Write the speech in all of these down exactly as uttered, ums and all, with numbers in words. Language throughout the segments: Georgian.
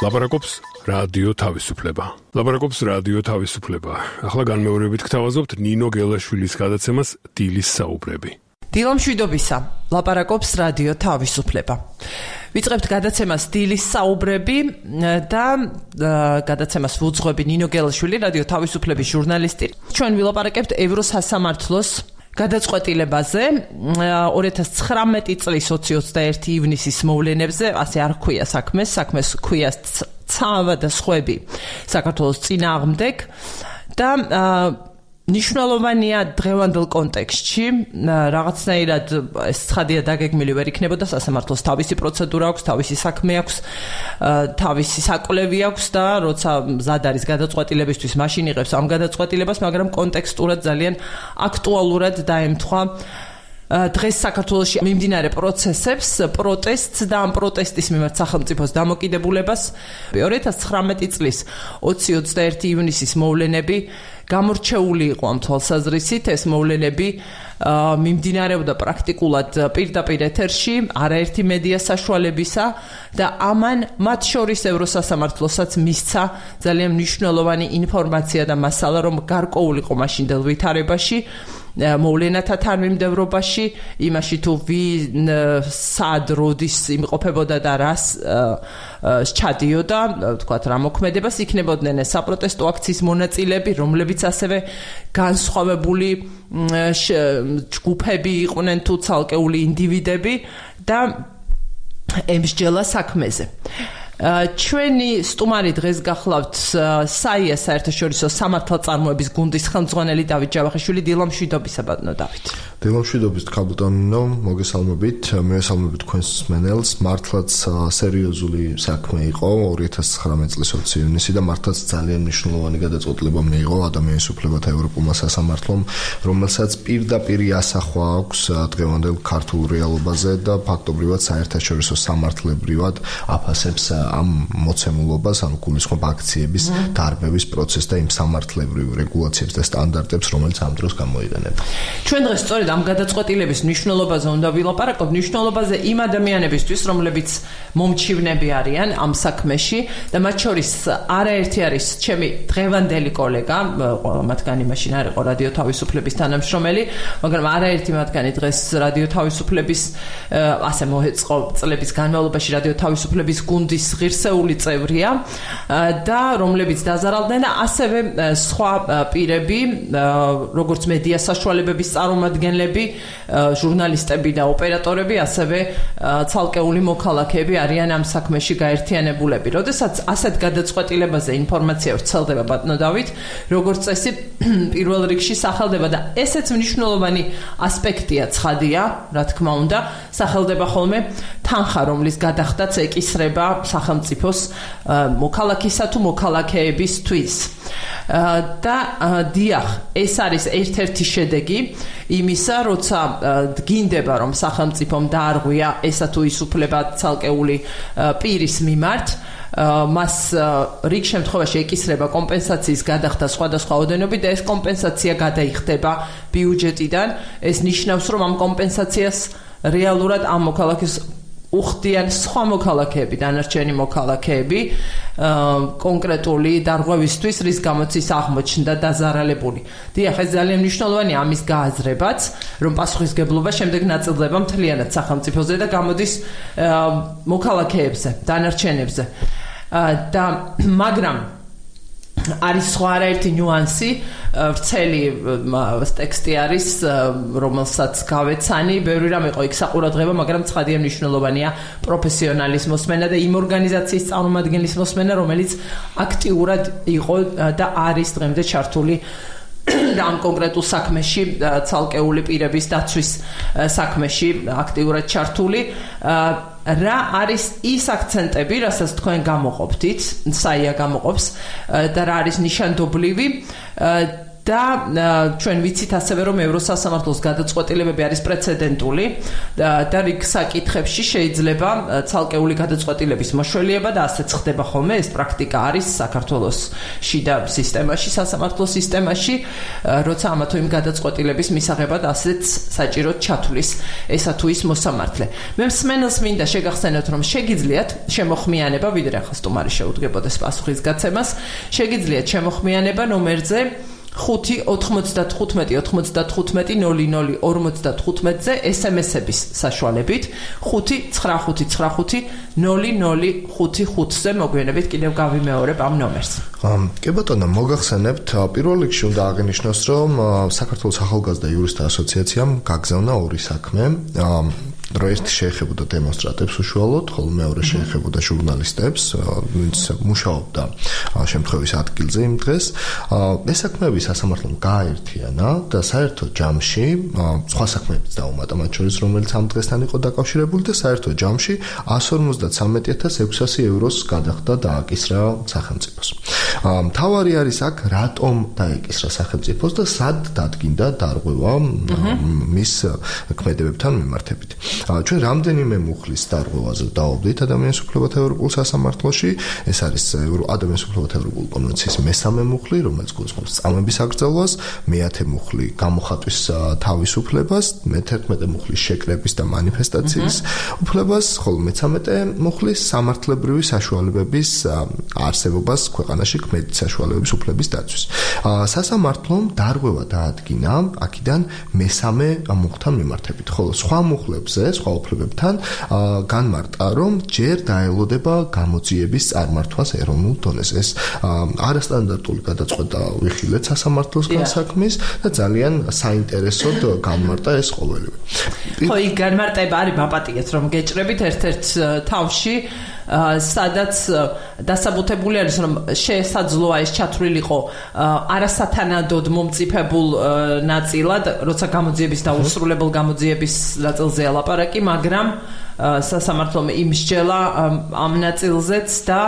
ლაპარაკობს რადიო თავისუფლება. ლაპარაკობს რადიო თავისუფლება. ახლა განმეორებით გთავაზობთ ნინო გელაშვილის გადაცემას დილის საუბრები. დილო მშვიდობისა, ლაპარაკობს რადიო თავისუფლება. ვიწყებთ გადაცემას დილის საუბრები და გადაცემას ვუძღვები ნინო გელაშვილი, რადიო თავისუფლების ჟურნალისტი. ჩვენ ვილაპარაკებთ ევროსასამართლოს გადაწყვეტილებაზე ორი ათას ცხრამეტი წლის ოცი ოცდაერთი ივნისის მოვლენებზე, ასე არ ჰქვია საქმეს, საქმეს ჰქვია ცავა და სხვები საქართველოს წინააღმდეგ და ნიშნულოვანია დღევანდელ კონტექსტში, რაღაცნაირად ეს ცხადია დაგეგმილი ვერ იქნებოდა, სასამართლოს თავისი პროცედურა აქვს, თავისი საქმე აქვს, თავისი საკვლევი აქვს და როცა მზად არის გადაწყვეტილებისთვის, მაშინ იღებს ამ გადაწყვეტილებას, მაგრამ კონტექსტურად ძალიან აქტუალურად დაემთხვა დღეს საქართველოში მიმდინარე პროცესებს, პროტესტს და ამ პროტესტის მიმართ სახელმწიფოს დამოკიდებულებას. ორი ათას ცხრამეტი წლის ოცი ოცდაერთი ივნისის მოვლენები გამორჩეული იყო ამ თვალსაზრისით, ეს მოვლენები მიმდინარეობდა პრაქტიკულად პირდაპირ ეთერში, არაერთი მედია საშუალებისა და ამან მათ შორის ევროსასამართლოსაც მისცა ძალიან მნიშვნელოვანი ინფორმაცია და მასალა, რომ გარკვეულიყო მაშინდელ ვითარებაში, მოვლენათა თანმიმდევრობაში, იმაში თუ ვინ სად როდის იმყოფებოდა და რას სჩადიოდა, თქვათ რა მოქმედებას იქნებოდნენ ეს საპროტესტო აქციის მონაწილეები, რომლებიც ასევე განსხვავებული ჯგუფები იყვნენ თუ ცალკეული ინდივიდები და ემსჯელა საქმეზე. ჩვენი სტუმარი დღეს გახლავთ საია საერთაშორისო სამართალწარმოების გუნდის ხელმძღვანელი დავით ჯავახიშვილი. დილო მშვიდობისა ბატონო დავით. დილო მშვიდობის ქალბატონო, მოგესალმებით. მევესალმებით თქვენს მსმენელს. მართლაც სერიოზული საქმე იყო ორი ათას ცხრამეტი წლის ოცი ივნისი და მართლაც ძალიან მნიშვნელოვანი გადაწყვეტილება მიიღო ადამიანის უფლებათა ევროპულმა სასამართლომ, რომელსაც პირდაპირ ასახვა აქვს დღევანდელ ქართულ რეალობაზე და ფაქტობრივად საერთაშორისო სამართლებრივად აფასებს ამ მოცემულობას, ანუ გულისხმობ აქციების დარბევის პროცესს და იმ სამართლებრივ რეგულაციებს და სტანდარტებს, რომელიც ამ დროს გამოიყენება. ჩვენ დღეს სწორედ ამ გადაწყვეტილების მნიშვნელობაზე უნდა ვილაპარაკოთ, მნიშვნელობაზე იმ ადამიანებისთვის, რომლებიც მომჩივნები არიან ამ საქმეში და მათ შორის არაერთი არის ჩემი დღევანდელი კოლეგა, მათგანი მაშინ არ იყო რადიო თავისუფლების თანამშრომელი, მაგრამ არაერთი მათგანი დღეს რადიო თავისუფლების ასე მოეწყო წლების განმავლობაში რადიო თავისუფლების გუნდის ღირსეული წევრია და რომლებიც დაზარალდნენ, ასევე სხვა პირები, როგორც მედია საშუალებების წარმომადგენლები, ჟურნალისტები და ოპერატორები, ასევე ცალკეული მოქალაქეები არიან ამ საქმეში გაერთიანებულები. როდესაც ასეთ გადაწყვეტილებაზე ინფორმაცია ვრცელდება ბატონო დავით, როგორც წესი პირველ რიგში სახელდება და ესეც მნიშვნელოვანი ასპექტია, ცხადია, რა თქმა უნდა, სახელდება ხოლმე თანხა, რომლის გადახდაც ეკისრება სახელმწიფოს მოქალაქისა თუ მოქალაქეებისთვის. და დიახ, ეს არის ერთ-ერთი შედეგი იმისა, როცა დგინდება, რომ სახელმწიფომ დაარღვია ესა თუ ის უფლება ცალკეული პირის მიმართ, მას რიგ შემთხვევაში ეკისრება კომპენსაციის გადახდა სხვადასხვა ოდენობით და ეს კომპენსაცია გადაიხდება ბიუჯეტიდან. ეს ნიშნავს, რომ ამ კომპენსაციას რეალურად ამ მოქალაქეს უხდიან სხვა მოქალაქეები, დანარჩენი მოქალაქეები კონკრეტული დარღვევისთვის, რის გამოც ის აღმოჩნდა დაზარალებული. დიახ, ეს ძალიან მნიშვნელოვანია ამის გააზრებაც, რომ პასუხისგებლობა შემდეგ ნაწილდება მთლიანად სახელმწიფოზე და გამოდის მოქალაქეებზე, დანარჩენებზე. და მაგრამ არის სხვა არაერთი ნიუანსი, ვრცელი ტექსტი არის, რომელსაც გავეცანი, ბევრი რამ იყო იქ საყურადღება, მაგრამ ცხადია მნიშვნელოვანია პროფესიონალის მოსმენა და იმ ორგანიზაციის წარმომადგენლის მოსმენა, რომელიც აქტიურად იყო და არის დღემდე ჩართული და ამ კონკრეტულ საქმეში, ცალკეული პირების დაცვის საქმეში აქტიურად ჩართული. რა არის ის აქცენტები, რასაც თქვენ გამოყოფთ, საია გამოყოფს და რა არის ნიშანდობლივი და ჩვენ ვიცით ასევე რომ ევროსასამართლოს გადაწყვეტილებები არის პრეცედენტული და რიგ საკითხებში შეიძლება ცალკეული გადაწყვეტილების მოშველიება და ასეც ხდება ხოლმე ეს პრაქტიკა არის საქართველოს შიდა სისტემაში სასამართლო სისტემაში როცა ამა თუ იმ გადაწყვეტილების მისაღებად ასეც საჭიროდ ჩათვლის ესა თუ ის მოსამართლე მე მსმენელს მინდა შეგახსენოთ რომ შეგიძლიათ შემოხმიანება ვიდრე ახლა სტუმარი შეუდგებოდეს პასუხის გაცემას შეგიძლიათ შემოხმიანება ნომერზე ხუთი ოთხმოცდათხუთმეტი ოთხმოცდათხუთმეტი ნული ნული ორმოცდათხუთმეტზე ესემესების საშუალებით ხუთი ცხრა ხუთი ცხრა ხუთი ნული ნული ხუთი ხუთზე მოგვიანებით კიდევ გავიმეორებ ამ ნომერს. კი ბატონო, მოგახსენებთ, პირველ რიგში უნდა აღინიშნოს, რომ საქართველოს ახალგაზრდა იურისტთა ასოციაციამ გაგზავნა ორი საქმე. რომ ერთი შეეხებოდა დემონსტრანტებს უშუალოდ, ხოლო მეორე შეეხებოდა ჟურნალისტებს, ვინც მუშაობდა შემთხვევის ადგილზე იმ დღეს. ეს საქმეები სასამართლომ გააერთიანა და საერთო ჯამში სხვა საქმეებიც დაუმატა, მათ შორის რომელიც ამ დღესთან იყო დაკავშირებული და საერთო ჯამში εκατს ორმოცდათვრამეტი ათას ექვსასი ევროს გადახდა დააკისრა სახელმწიფოს. მთავარი არის აქ რატომ დაეკისრა სახელმწიფოს და სად დადგინდა დარღვევა მის ქმედებებთან მიმართებით. ჩვენ რამდენიმე მუხლის დარღვევაზე დავობდით ადამიანის უფლებათა ევროპულ სასამართლოში. ეს არის ადამიანის უფლებათა ევროპული კონვენციის მესამე მუხლი, რომელიც გულისხმობს წამების აკრძალვას, მეათე მუხლი გამოხატვის თავისუფლებას, მეთერთმეტე მუხლის შეკრების და მანიფესტაციის უფლებას, ხოლო მეცამეტე მუხლი სამართლებრივი საშუალებების არსებობას ქვეყანაში ქმედით საშუალებების უფლების დაცვის. სასამართლომ დარღვევა დაადგინა აქედან მესამე მუხლთან მიმართებით, ხოლო სხვა მუხლებზე სხვა უფლებებთან განმარტა, რომ ჯერ დაელოდება გამოძიების წარმართვას ეროვნულ დონეზე. ეს არასტანდარტული გადაწყვეტა ვიხილეთ სასამართლოსგან საქმის და ძალიან საინტერესოდ განმარტა ეს ყოველივე. ხო, იქ განმარტება არის მაპატიეთ, რომ გეჭრებით ერთ-ერთ თავში სადაც დასაბუთებული არის რომ შესაძლოა ეს ჩათვლილიყო არასათანადოდ მომწიფებულ ნაწილად, როცა გამოძიების და უსრულებელ გამოძიების ნაწილზეა ლაპარაკი, მაგრამ სასამართლომ იმსჯელა ამ ნაწილზეც და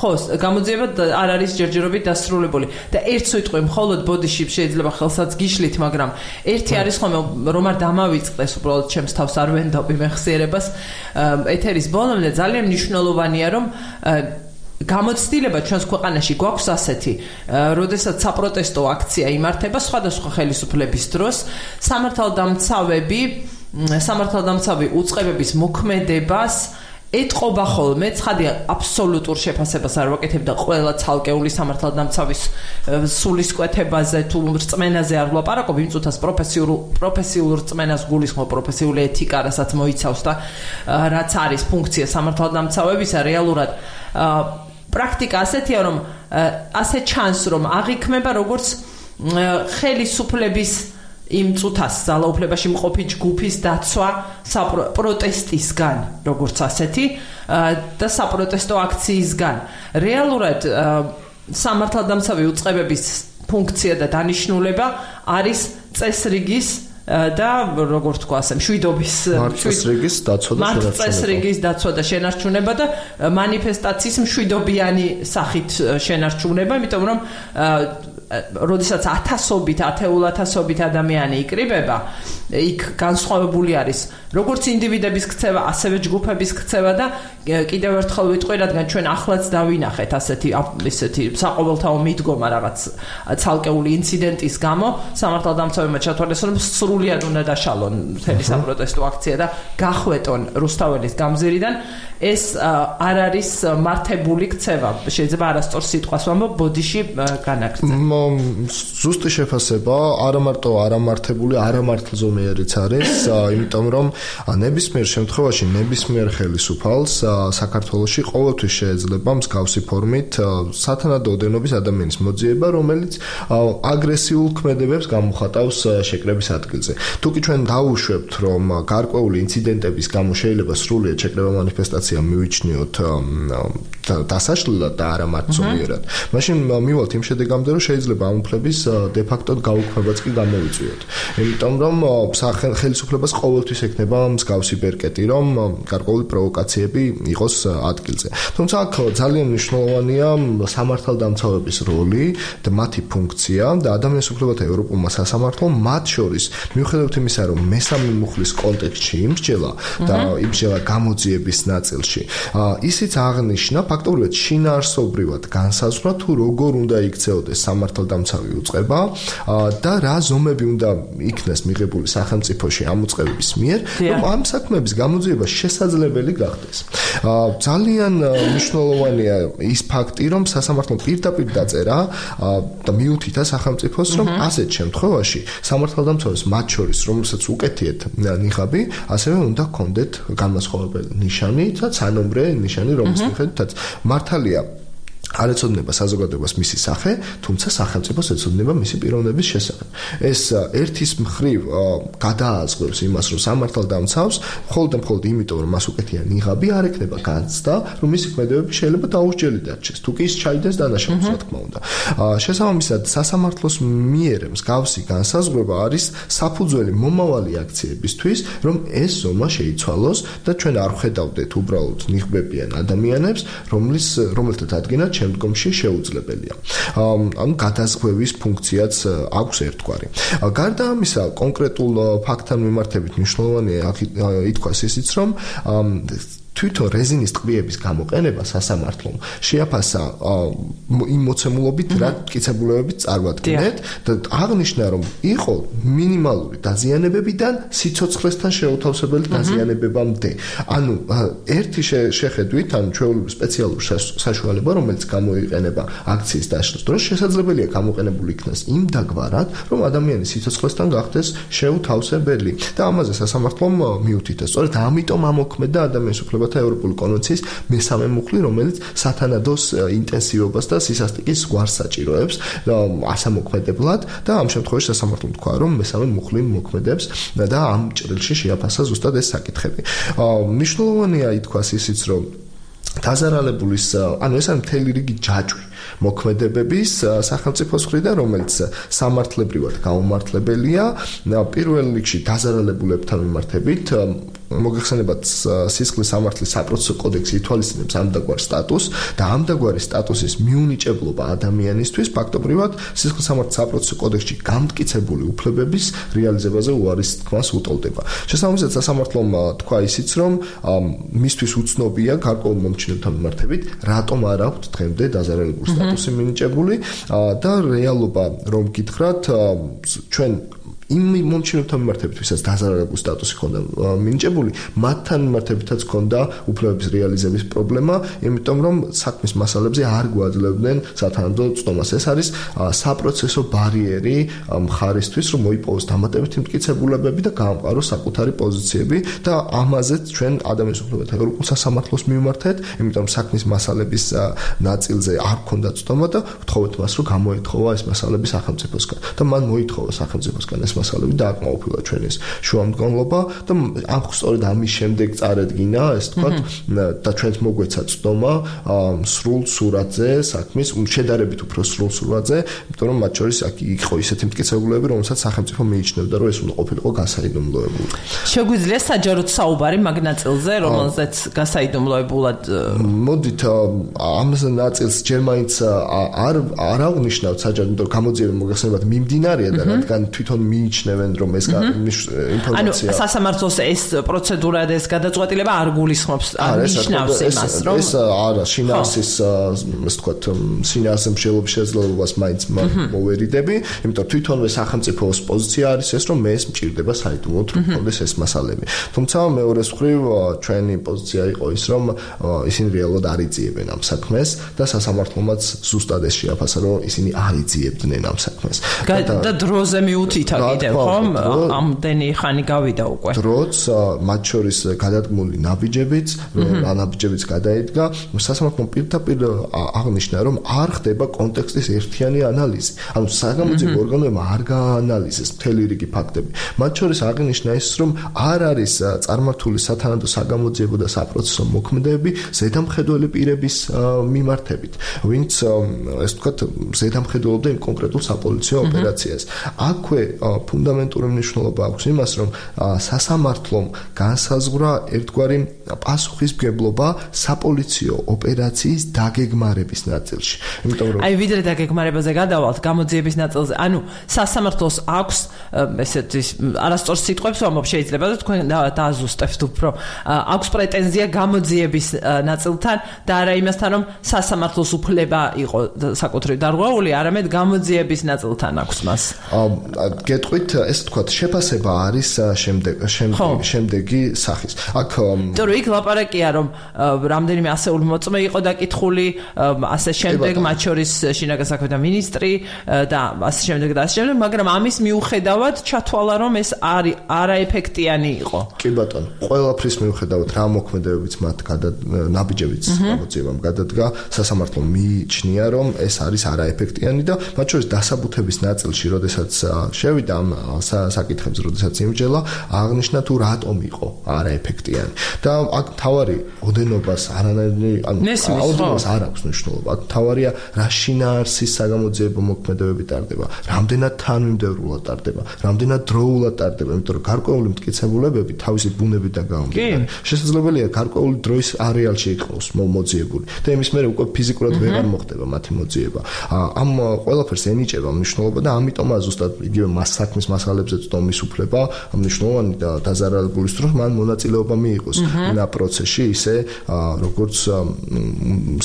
ხო, გამოძიება არ არის ჯერჯერობით დასრულებული და ერთ სიტყვით მხოლოდ ბოდიში შეიძლება ხელსაც გიშლით, მაგრამ ერთი არის ხოლმე რომ არ დამავიწყდეს უბრალოდ ჩემს თავს არ ვენდობი მეხსიერებას ეთერის ბოლომდე ძალიან მნიშვნელოვანია რომ გამოცდილება ჩვენს ქვეყანაში გვაქვს ასეთი, როდესაც საპროტესტო აქცია იმართება სხვადასხვა ხელისუფლების დროს, სამართალდამცავები სამართალდამცავი უწყებების მოქმედებას ეტყობა ხოლმე, ცხადია აბსოლუტურ შეფასებას არ ვაკეთებდა ყველა ცალკეული სამართალდამცავის სულისკვეთებაზე თუ რწმენაზე არ ვლაპარაკობ, იმ წუთას პროფესიულ პროფესიულ რწმენას გულისხმობ, პროფესიული ეთიკა, რასაც მოიცავს და რაც არის ფუნქცია სამართალდამცავებისა, რეალურად პრაქტიკა ასეთია, რომ ასე ჩანს, რომ აღიქმება როგორც ხელისუფლების იმ წუთას ძალაუფლებაში მყოფი ჯგუფის დაცვა პროტესტისგან, როგორც ასეთი და საპროტესტო აქციისგან. რეალურად სამართალდამცავი უწყებების ფუნქცია და დანიშნულება არის წესრიგის და როგორ თქვა ასე მშვიდობის წესრიგის დაცვა და შენარჩუნება. წესრიგის დაცვა და შენარჩუნება და მანიფესტაციის მშვიდობიანი სახით შენარჩუნება, იმიტომ რომ როდესაც ათასობით, ათეულათასობით ადამიანი იკრიბება, იქ განსხვავებული არის როგორც ინდივიდების ქცევა, ასევე ჯგუფების ქცევა და კიდევ ერთხელ ვიტყვი, რადგან ჩვენ ახლაც დავინახეთ ასეთი ისეთი საყოველთაო მიდგომა რაღაც ცალკეული ინციდენტის გამო, სამართალდამცავებმა ჩათვალეს, რომ სრულიად უნდა დაშალონ მთელი საპროტესტო აქცია და გახვეტონ რუსთაველის გამზირიდან. ეს არ არის მართებული ქცევა, შეიძლება არასწორ სიტყვას ვამბობ, ბოდიში განაგრძე. ზუსტი შეფასება, არა მარტო არამართებული, არამართლზომიერიც არის, იმიტომ რომ ნებისმიერ შემთხვევაში ნებისმიერ ხელისუფალს საქართველოში ყოველთვის შეიძლება მსგავსი ფორმით სათანადო ოდენობის ადამიანის მოძიება, რომელიც აგრესიულ ქმედებებს გამოხატავს შეკრების ადგილზე. თუკი ჩვენ დავუშვებთ, რომ გარკვეული ინციდენტების გამო შეიძლება სრულიად შეკრება მანიფესტაცია მივიჩნიოთ დასაშლელად და არა მართლზომიერად, მაშინ მივალთ იმ შედეგამდე, რომ შეიძლება ამ უფლების დე ფაქტოდ გაუქმებაც კი გამოვიწვიოთ. იმიტომ რომ ხელისუფლებას ყოველთვის ექნება მსგავსი ბერკეტი, რომ გარკვეული პროვოკაციები იყოს ადგილზე. თუმცა აქ ძალიან მნიშვნელოვანია სამართალდამცავების როლი და მათი ფუნქცია და ადამიანის უფლებათა ევროპულმა სასამართლომ მათ შორის მიუხედავად იმისა, რომ მესამე მუხლის კონტექსტში იმსჯელა და იმსჯელა გამოძიების ნაწილში, ისიც აღნიშნა ფაქტობრივად შინაარსობრივად განსაზღვრა თუ როგორ უნდა იქცეოდეს სამართალდამცავი უწყება და რა ზომები უნდა იქნეს მიღებული სახელმწიფოში ამ უწყებების მიერ, რომ ამ საქმეების გამოძიება შესაძლებელი გახდეს. ძალიან მნიშვნელოვანია ის ფაქტი, რომ სასამართლომ პირდაპირ დაწერა და მიუთითა სახელმწიფოს, რომ ასეთ შემთხვევაში სამართალდამცავებს მათ შორის, რომელსაც უკეთიეთ ნიღაბი, ასევე უნდა ჰქონდეთ განმასხვავებელი ნიშანი და ცანომრე ნიშანი, რომლის მიხედვითაც მართალია არ ეცოდინება საზოგადოებას მისი სახე, თუმცა სახელმწიფოს ეცოდინება მისი პიროვნების შესახებ. ეს ერთის მხრივ გადააზღვრებს იმას, რომ სამართალდამცავს მხოლოდ და მხოლოდ იმიტომ, რომ მას უკეთია ნიღაბი, არ ექნება განცდა, რომ მისი ქმედებები შეიძლება დაუსჯელი დარჩეს. თუ კი ის ჩაიდეს დანაშაულს, რა თქმა უნდა. შესაბამისად, სასამართლოს მიერ მსგავსი განსაზღვრება არის საფუძველი მომავალი აქციებისთვის, რომ ეს ზომა შეიცვალოს და ჩვენ არ ვხედავდეთ უბრალოდ ნიღბებიან ადამიანებს, რომლის რომელთაც ადგენად შემდგომში შეუძლებელია. ანუ გადაზღვევის ფუნქციაც აქვს ერთგვარი. გარდა ამისა, კონკრეტულ ფაქტთან მიმართებით მნიშვნელოვანია ითქვას ისიც, რომ თვითონ რეზინის ტყვიების გამოყენება სასამართლომ შეაფასა იმ მოცემულობით, რა მტკიცებულებებით წარმოადგენთ და აღნიშნა, რომ იყო მინიმალური დაზიანებებიდან სიცოცხლესთან შეუთავსებელი დაზიანებებამდე. ანუ ერთი შეხედვით, ანუ ჩვეულებრივ სპეციალური საშუალება, რომელიც გამოიყენება აქციის დაშლის დროს, შესაძლებელია გამოყენებული იქნას იმ დაგვარად, რომ ადამიანის სიცოცხლესთან გახდეს შეუთავსებელი. და ამაზე სასამართლომ მიუთითეს. სწორედ ამიტომ ამოქმედა ადამიანის უფლებათა ევროპული კონვენციის მესამე მუხლი, რომელიც სათანადოს ინტენსივობას და სისასტიკის გვარს საჭიროებს ასამოქმედებლად და ამ შემთხვევაში სასამართლომ თქვა, რომ მესამე მუხლი მოქმედებს და ამ ჭრილში შეაფასა ზუსტად ეს საკითხები. მნიშვნელოვანია ითქვას ისიც, რომ დაზარალებულის, ანუ ეს არის მთელი რიგი ჯაჭვი მოქმედებების სახელმწიფოს მხრიდან, რომელიც სამართლებრივად გაუმართლებელია, პირველ რიგში დაზარალებულებთან მიმართებით მოგეხსენებათ სისხლის სამართლის საპროცესო კოდექსი ითვალისწინებს ამდაგვარ სტატუსს და ამდაგვარი სტატუსის მიუნიჭებლობა ადამიანისთვის ფაქტობრივად სისხლის სამართლის საპროცესო კოდექსში გამტკიცებული უფლებების რეალიზებაზე უარის თქმას უტოლდება. შესაბამისად, სასამართლომ თქვა ისიც, რომ მისთვის უცნობია გარკვეულ მომჩინებთან მიმართებით, რატომ არ აქვთ დღემდე დაზარალებულ სტატუსი მინიჭებული და რეალობა რომ გითხრათ, ჩვენ იმ მომჩინებთან მიმართებით, ვისაც დაზარალებულ სტატუსი ჰქონდა მინიჭებული, მათთან მიმართებითაც ჰქონდა უფლებების რეალიზების პრობლემა, იმიტომ რომ საქმის მასალებზე არ გვაძლევდნენ სათანადო წდომას. ეს არის საპროცესო ბარიერი მხარისთვის, რომ მოიპოვოს დამატებითი მტკიცებულებები და გაამყაროს საკუთარი პოზიციები და ამაზეც ჩვენ ადამიანის უფლებათა ევროპულ სასამართლოს მივმართეთ, იმიტომ რომ საქმის მასალების ნაწილზე არ ჰქონდა წდომა და ვთხოვეთ მას, რომ გამოეთხოვა ეს მასალები სახელმწიფოსგან და მან მოითხოვა სახელმწიფოსგან ეს მასალები და აკმაყოფილა ჩვენის შუამდგომლობა და ამ სწორედ ამის შემდეგ წარედგინა, ეს თქვათ, და ჩვენს მოგვეცა წდომა სრულ სურათზე, საქმის შედარებით უფრო სრულ სურათზე, იმიტომ რომ მათ შორის აქ იყო ისეთი მტკიცებულებები, რომელსაც სახელმწიფო მიიჩნევდა, რომ ეს უნდა ყოფილიყო გასაიდუმლოებული. შეგვიძლია საჯაროდ საუბარი მაგ ნაწილზე, რომელზეც გასაიდუმლოებულად მოდით ამ ნაწილს ჯერ მაინც არ არ აღნიშნავთ საჯაროდ, იმიტომ რომ გამოძიება მოგეხსენებათ მიმდინარეა და რადგან თვითონ მიიჩნევენ, რომ ეს ინფორმაცია ანუ სასამართლოს ეს პროცედურა და ეს გადაწყვეტილება არ გულისხმობს, არ ნიშნავს იმას, რომ ეს არა შინაარსის, ასე ვთქვათ, შინაარსის მსჯელობის შესაძლებლობას მაინც მოვერიდები, იმიტომ რომ თვითონვე სახელმწიფოს პოზიცია არის ეს, რომ მე ეს მჭირდება საიდუმლოდ, რომ კონდეს ეს მასალები. თუმცა მეორეს მხრივ ჩვენი პოზიცია იყო ის, რომ ისინი რეალურად არ იძიებენ ამ საქმეს და სასამართლომაც ზუსტად ეს შეაფასა, რომ ისინი არ იძიებდნენ ამ საქმეს. და დროზე მიუთითა კიდევ, ხომ? ამდენი ხანი გავიდა უკვე. დროც მათ შორის გადადგმული ნაბიჯებიც, ნაბიჯებიც გადაედგა, სასამართლომ პირდაპირ აღნიშნა, რომ არ ხდება კონტექსტის ერთიანი ანალიზი. ანუ საგამოძიებო ორგანოებმა არ გააანალიზეს მთელი რიგი ფაქტები. მათ შორის აღნიშნა ის, რომ არ არის წარმართული სათანადო საგამოძიებო და საპროცესო მოქმედებები ზედამხედველი პირების მიმართებით, ვინც ეს თქვათ ზედამხედველობდა იმ კონკრეტულ საპოლიციო ოპერაციას. აქვე ფუნდამენტური მნიშვნელობა აქვს იმას, რომ სასამართლომ განსაზღვრა ერთგვარი პასუხისმგებლობა საპოლიციო ოპერაციის დაგეგმარების ნაწილში. იმიტომ რომ აი ვიდრე დაგეგმარებაზე გადავალთ გამოძიების ნაწილზე, ანუ სასამართლოს აქვს ესეთი არასწორ სიტყვებს ვამბობ, შეიძლება და თქვენ დააზუსტებთ უფრო. აქვს პრეტენზია გამოძიების ნაწილთან და არა იმასთან, რომ სასამართლოს უფლება იყო საკუთრივ დარღვეული, არამედ გამოძიების ნაწილთან აქვს მას. გეტყვით, ესე თქვა, შეფასება არის შემდეგ შემდეგი სახის. აქ იმიტომ რომ იქ ლაპარაკია, რომ რამდენიმე ასეული მოწმე იყო დაკითხული, ასე შემდეგ, მათ შორის შინაგან საქმეთა მინისტრი და ასე შემდეგ და ასე შემდეგ, მაგრამ ამის მიუხედავად ჩათვალა, რომ ეს არაეფექტიანი იყო. კი ბატონო, ყველაფრის მიუხედავად რა მოქმედებებიც მათ ნაბიჯებიც გამოძიებამ გადადგა, სასამართლომ მიიჩნია, რომ ეს არის არაეფექტიანი და მათ შორის დასაბუთების ნაწილში, როდესაც შევიდა ამ საკითხებს, როდესაც იმჯელა, აღნიშნა თუ რატომ იყო არაეფექტიანი. და აქ თავარი ოდენობას არანაირი ოდენობას არ აქვს მნიშვნელობა. თავარია რა შინაარსის საგამოძიებო მოქმედებები ტარდება, რამდენად თანმიმდევრულად ტარდება, რამდენად დროულად ტარდება, იმიტომ რომ გარკვეული მტკიცებულებები თავისი ბუნებიდან გამომდინარე. შესაძლებელია გარკვეული დროის არეალში იყოს მოძიებული და იმის მერე უკვე ფიზიკურად ვეღარ მოხდება მათი მოძიება. ამ ყველაფერს ენიჭება მნიშვნელობა და ამიტომაა ზუსტად იგივე საქმის მასალებზე წდომის უფლება მნიშვნელოვანი და დაზარალებული დროს მან მონაწილეობა მიიღოს იმ პროცესში ისე როგორც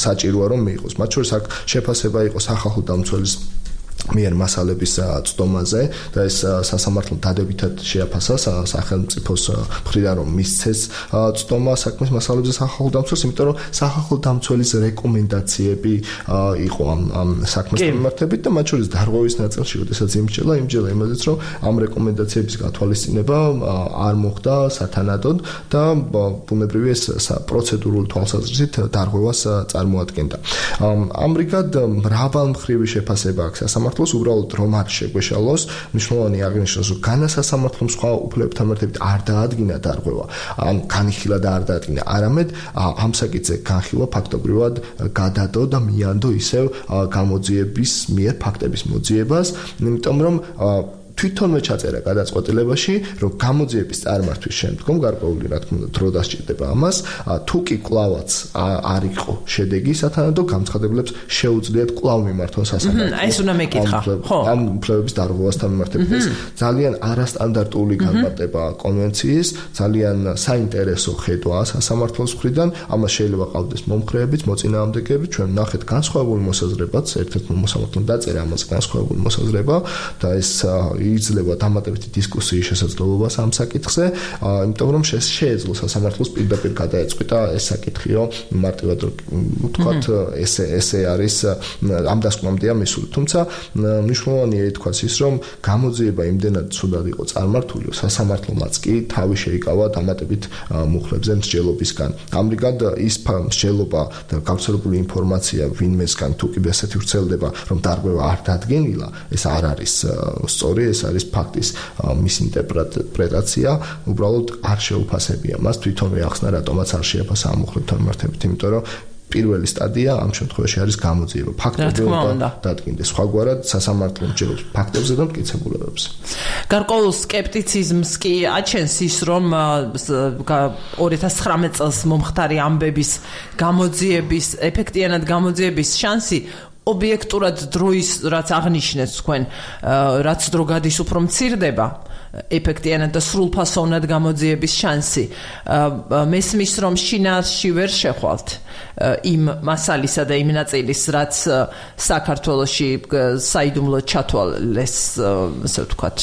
საჭიროა რომ მიიღოს. მათ შორის აქ შეფასება იყო სახალხო დამცველის მიერ მასალების წდომაზე და ეს სასამართლომ დადებითად შეაფასა სახელმწიფოს მხრიდან რომ მისცეს წდომა საქმის მასალებზე სახალხო დამცველს, იმიტომ რომ სახალხო დამცველის რეკომენდაციები იყო ამ ამ საქმის მიმართებით და მათ შორის დარღვევის ნაწილში, როდესაც იმჯელა, იმჯელა იმაზეც რომ ამ რეკომენდაციების გათვალისწინება არ მოხდა სათანადოდ და ბუნებრივია ეს პროცედურული თვალსაზრისით დარღვევას წარმოადგენდა. ამრიგად მრავალმხრივი შეფასება აქვს სასამართლოს უბრალოდ რომ არ შეგვეშალოს, მნიშვნელოვანი აღნიშნოს, რომ განასასამართლომ სხვა უფლებებთან მიმართებით არ დაადგინა დარღვევა, ან განიხილა და არ დაადგინა, არამედ ამ საკითხზე განხილვა ფაქტობრივად გადადო და მიანდო ისევ გამოძიების მიერ ფაქტების მოძიებას, იმიტომ რომ თვითონვე ჩაწერა გადაწყვეტილებაში, რომ გამოძიების წარმართვის შემდგომ გარკვეული რა თქმა უნდა დრო დასჭირდება ამას, თუ კი კვლავაც არ იყო შედეგი სათანადო, გამცხადებლებს შეუძლიათ კვლავ მიმართონ სასამართლოს. აი ეს უნდა მეკითხა. ხო. ამ უფლებების დარღვევასთან მიმართებით ეს ძალიან არასტანდარტული განმარტება კონვენციის, ძალიან საინტერესო ხედვა სასამართლოს მხრიდან, ამას შეიძლება ყავდეს მომხრეებიც, მოწინააღმდეგეებიც, ჩვენ ნახეთ განსხვავებული მოსაზრებაც, ერთ-ერთ მოსამართლომ დაწერა ამას განსხვავებული მოსაზრება და ეს იძლევა დამატებითი დისკუსიის შესაძლებლობას ამ საკითხზე, იმიტომ რომ შეეძლო სასამართლოს პირდაპირ გადაეწყვიტა ეს საკითხიო, მარტივად ვთქვათ, ესე ესე არის ამ დასკვნამდეა მისული. თუმცა მნიშვნელოვანია ითქვას ის, რომ გამოძიება იმდენად ცუდად იყო წარმართული, სასამართლომაც კი თავი შეიკავა დამატებით მუხლებზე მსჯელობისგან. ამრიგად ის მსჯელობა და გავრცელებული ინფორმაცია ვინმესგან თუ კი ესეთი ვრცელდება, რომ დარღვევა არ დადგენილა, ეს არ არის სწორი, ეს არის ფაქტის მისინტერპრეტაცია, უბრალოდ არ შეუფასებია მას, თვითონვე ახსნა რატომაც არ შეაფასა ამ მუხლებთან მიმართებით, იმიტომ რომ პირველი სტადია ამ შემთხვევაში არის გამოძიება. ფაქტობრივად დადგინდეს. სხვაგვარად სასამართლომ ჯეროს ფაქტებზე და მტკიცებულებებზე. გარკვეულ სკეპტიციზმს კი აჩენს ის, რომ ორი ათას ცხრამეტ წელს მომხდარი ამბების გამოძიების, ეფექტიანად გამოძიების შანსი ობიექტურად დროის რაც აღნიშნეთ თქვენ, რაც დრო გადის უფრო მცირდება, ეფექტიანად და სრულფასოვნად გამოძიების შანსი. მესმის რომ შინაარსში ვერ შეხვალთ იმ მასალისა და იმ ნაწილის, რაც საქართველოში საიდუმლოდ ჩათვალეს, ასე ვთქვათ,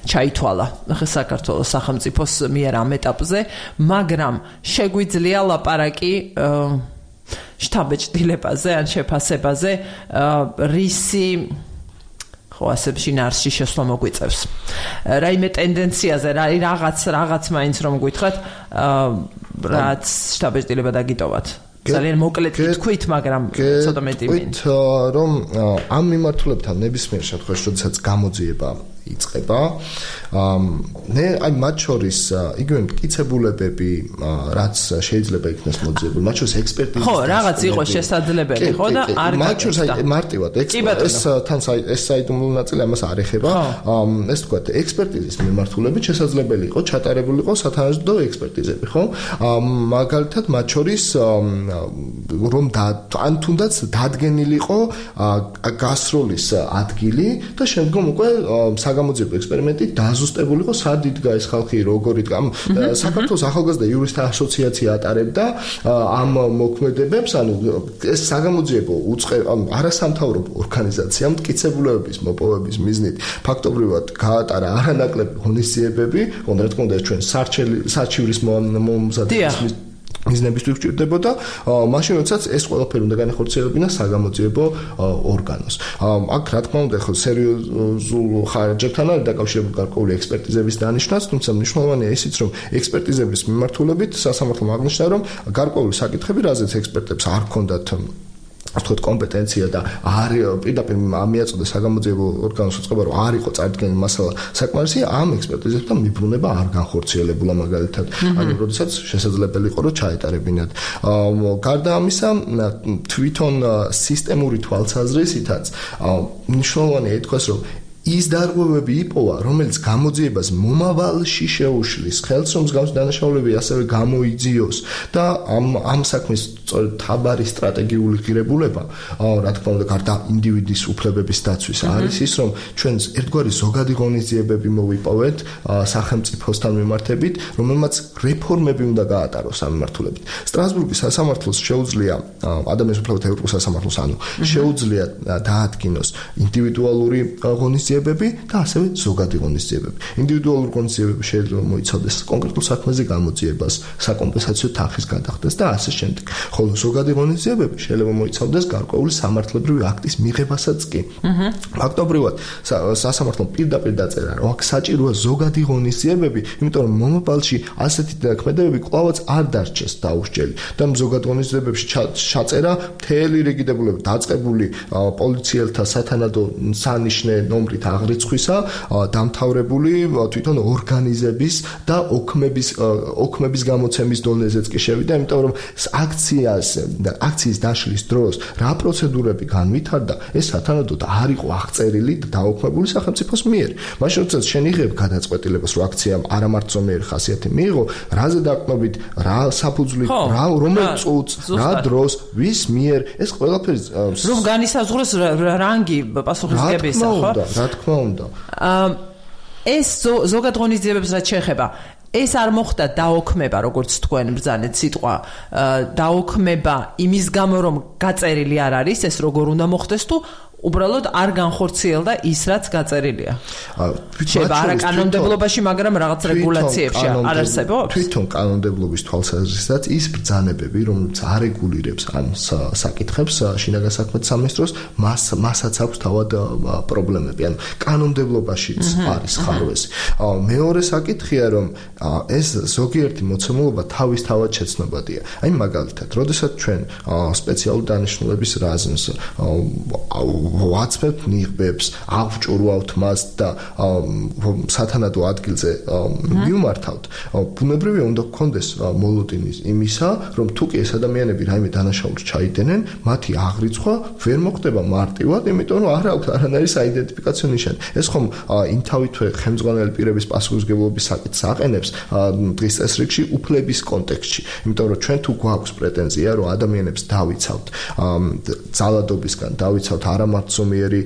ჩაითვალა საქართველოს სახელმწიფოს მიერ ამ ეტაპზე, მაგრამ შეგვიძლია ლაპარაკი შთაბეჭდილებაზე ან შეფასებაზე, რისი ხო ასე შინაარსში შესვლა მოგვიწევს. რაიმე ტენდენციაზე, რაღაც რაღაც მაინც რომ გითხრათ, რაც შთაბეჭდილება დაგიტოვათ. ძალიან მოკლედ თქვით, მაგრამ ცოტა მეტი მინდა. რომ ამ მიმართულებთან ნებისმიერ შემთხვევაში, როდესაც გამოძიება იწყება. მე აი მათ შორის იგივე მტკიცებულებები, რაც შეიძლება იქნას მოძიებული, მათ შორის ექსპერტიზა. ხო, რაღაც იყო შესაძლებელი, ხო და არ მათ შორის აი მარტივად ეს თან ეს საიდუმლო ნაწილი ამას არ ეხება. ეს თქვა ექსპერტიზის მიმართულებით შესაძლებელი იყო ჩატარებულიყო სათანადო ექსპერტიზები, ხო? მაგალითად მათ შორის რომ ან თუნდაც დადგენილიყო გასროლის ადგილი და შემდგომ უკვე საგამოძიებო ექსპერიმენტი დაზუსტებულიყო სად იდგა ეს ხალხი, როგორ იდგა. საქართველოს ახალგაზრდა იურისტთა ასოციაცია ატარებდა ამ მოქმედებებს, ანუ ეს საგამოძიებო უწყე არასამთავრობო ორგანიზაცია მტკიცებულებების მოპოვების მიზნით ფაქტობრივად გაატარა არანაკლები ღონისძიებები, რა თქმა უნდა ჩვენ საარჩივრის მომზადების მიზნებისთვის გვჭირდებოდა, მაშინ როდესაც ეს ყველაფერი უნდა განახორციელებინა საგამოძიებო ორგანოს. აქ რა თქმა უნდა ხო სერიოზულ ხარჯებთან არის დაკავშირებული გარკვეული ექსპერტიზების დანიშვნაც, თუმცა მნიშვნელოვანია ისიც, რომ ექსპერტიზების მიმართულებით სასამართლომ აღნიშნა, რომ გარკვეული საკითხები, რაზეც ექსპერტებს არ ჰქონდათ ვთქვათ კომპეტენცია და არ პირდაპირ მიაწოდეს საგამოძიებო ორგანოს უწყება, რომ არ იყო წარდგენილი მასალა საკმარისი, ამ ექსპერტიზებთან მიბრუნება არ განხორციელებულა მაგალითად. ანუ როდესაც შესაძლებელი იყო რომ ჩაეტარებინათ. გარდა ამისა, თვითონ სისტემური თვალსაზრისითაც მნიშვნელოვანია ითქვას, რომ ის დარღვევები იპოვა, რომელიც გამოძიებას მომავალში შეუშლის, ხელს რომ მსგავსი დანაშაულები ასევე გამოიძიოს და ამ ამ საქმის თაბარი სტრატეგიული ღირებულება, რა თქმა უნდა, გარდა ინდივიდის უფლებების დაცვის არის ის, რომ ჩვენ ერთგვარი ზოგადი ღონისძიებები მოვიპოვეთ სახელმწიფოსთან მიმართებით, რომელმაც რეფორმები უნდა გაატაროს ამ მიმართულებით. სტრასბურგის სასამართლოს შეუძლია ადამიანის უფლებათა ევროპულ სასამართლოს, ანუ შეუძლია დაადგინოს ინდივიდუალური ღონისძიებები და ასევე ზოგადი ღონისძიებები. ინდივიდუალური ღონისძიებები შეიძლება მოიცავდეს კონკრეტულ საქმეზე გამოძიებას, საკომპენსაციო თანხის გადახდას და ასე შემდეგ. ხოლო ზოგადი ღონისძიებები შეიძლება მოიცავდეს გარკვეული სამართლებრივი აქტის მიღებასაც კი. ფაქტობრივად სასამართლომ პირდაპირ დაწერა, რომ აქ საჭიროა ზოგადი ღონისძიებები, იმიტომ რომ მომავალში ასეთი ქმედებები კვლავაც არ დარჩეს დაუსჯელი. და ზოგად ღონისძიებებში ჩაწერა მთელი რიგი დებულება დაწყებული პოლიციელთა სათანადო სანიშნე ნომრით აღრიცხვისა, დამთავრებული თვითონ ორგანიზების და ოქმების ოქმების გამოცემის დონეზეც კი შევიდა, იმიტომ რომ აქციას და აქციის დაშლის დროს რა პროცედურები განვითარდა, ეს სათანადოდ არ იყო აღწერილი და დაუქმებული სახელმწიფოს მიერ. მაშინ როდესაც შენ იღებ გადაწყვეტილებას, რომ აქციამ არამართლომიერი ხასიათი მიიღო, რაზე დაყნობით, რა საფუძვლით, რა რომელ წუთს, რა დროს, ვის მიერ, ეს ყველაფერი რომ განისაზღვროს რანგი პასუხისმგებისა, ხო? რა თქმა უნდა. ეს ზოგად ღონისძიებებს რაც შეეხება, ეს არ მოხდა დაოქმება, როგორც თქვენ ბრძანეთ სიტყვა, დაოქმება იმის გამო, რომ გაწერილი არ არის, ეს როგორ უნდა მოხდეს თუ უბრალოდ არ განხორციელდა ის, რაც გაწერილია. შეიძლება არა კანონმდებლობაში, მაგრამ რაღაც რეგულაციებში არ არსებობს? თვითონ კანონმდებლობის თვალსაზრისითაც ის ბრძანებები, რომელიც არეგულირებს ამ საკითხებს შინაგან საქმეთა სამინისტროს, მას მასაც აქვს თავად პრობლემები. ანუ კანონმდებლობაშიც არის ხარვესი. მეორე საკითხია, რომ ეს ზოგიერთი მოცემულობა თავისთავად შეცნობადია. აი მაგალითად, როდესაც ჩვენ სპეციალური დანიშნულების რაზმს ვაცმევთ ნიღბებს, ავჭურვავთ მას და სათანადო ადგილზე მივმართავთ, ბუნებრივია უნდა გქონდეს მოლოდინი იმისა, რომ თუ კი ეს ადამიანები რაიმე დანაშაულს ჩაიდენენ, მათი აღრიცხვა ვერ მოხდება მარტივად, იმიტომ რომ არ აქვს არანაირი საიდენტიფიკაციო ნიშანი. ეს ხომ იმთავითვე ხელმძღვანელი პირების პასუხისმგებლობის საკითხს აყენებს დღის წესრიგში უფლების კონტექსტში, იმიტომ რომ ჩვენ თუ გვაქვს პრეტენზია, რომ ადამიანებს დავიცავთ ძალადობისგან, დავიცავთ არამართლომიერი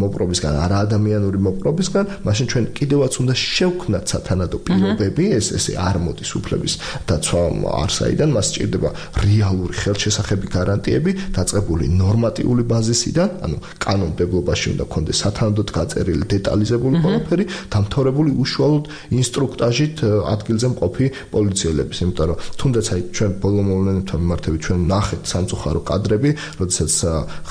მოპყრობისგან, არაადამიანური მოპყრობისგან, მაშინ ჩვენ კიდევაც უნდა შევქმნათ სათანადო პირობები, ეს ესე არ მოდის უფლების დაცვა არსაიდან, მას სჭირდება რეალური ხელშესახები გარანტიები, დაწყებული ნორმატიული ბაზისიდან, ანუ კანონმდებლობაში უნდა გქონდეს სათანადოდ გაწერილი დეტალიზებული ყველაფერი, დამთავრებული უშუალოდ ინსტრუქტაჟით ადგილზე მყოფი პოლიციელების, იმიტომ რომ თუნდაც აი ჩვენ ბოლო მოვლენებთან მიმართებით ჩვენ ნახეთ სამწუხარო კადრები, როდესაც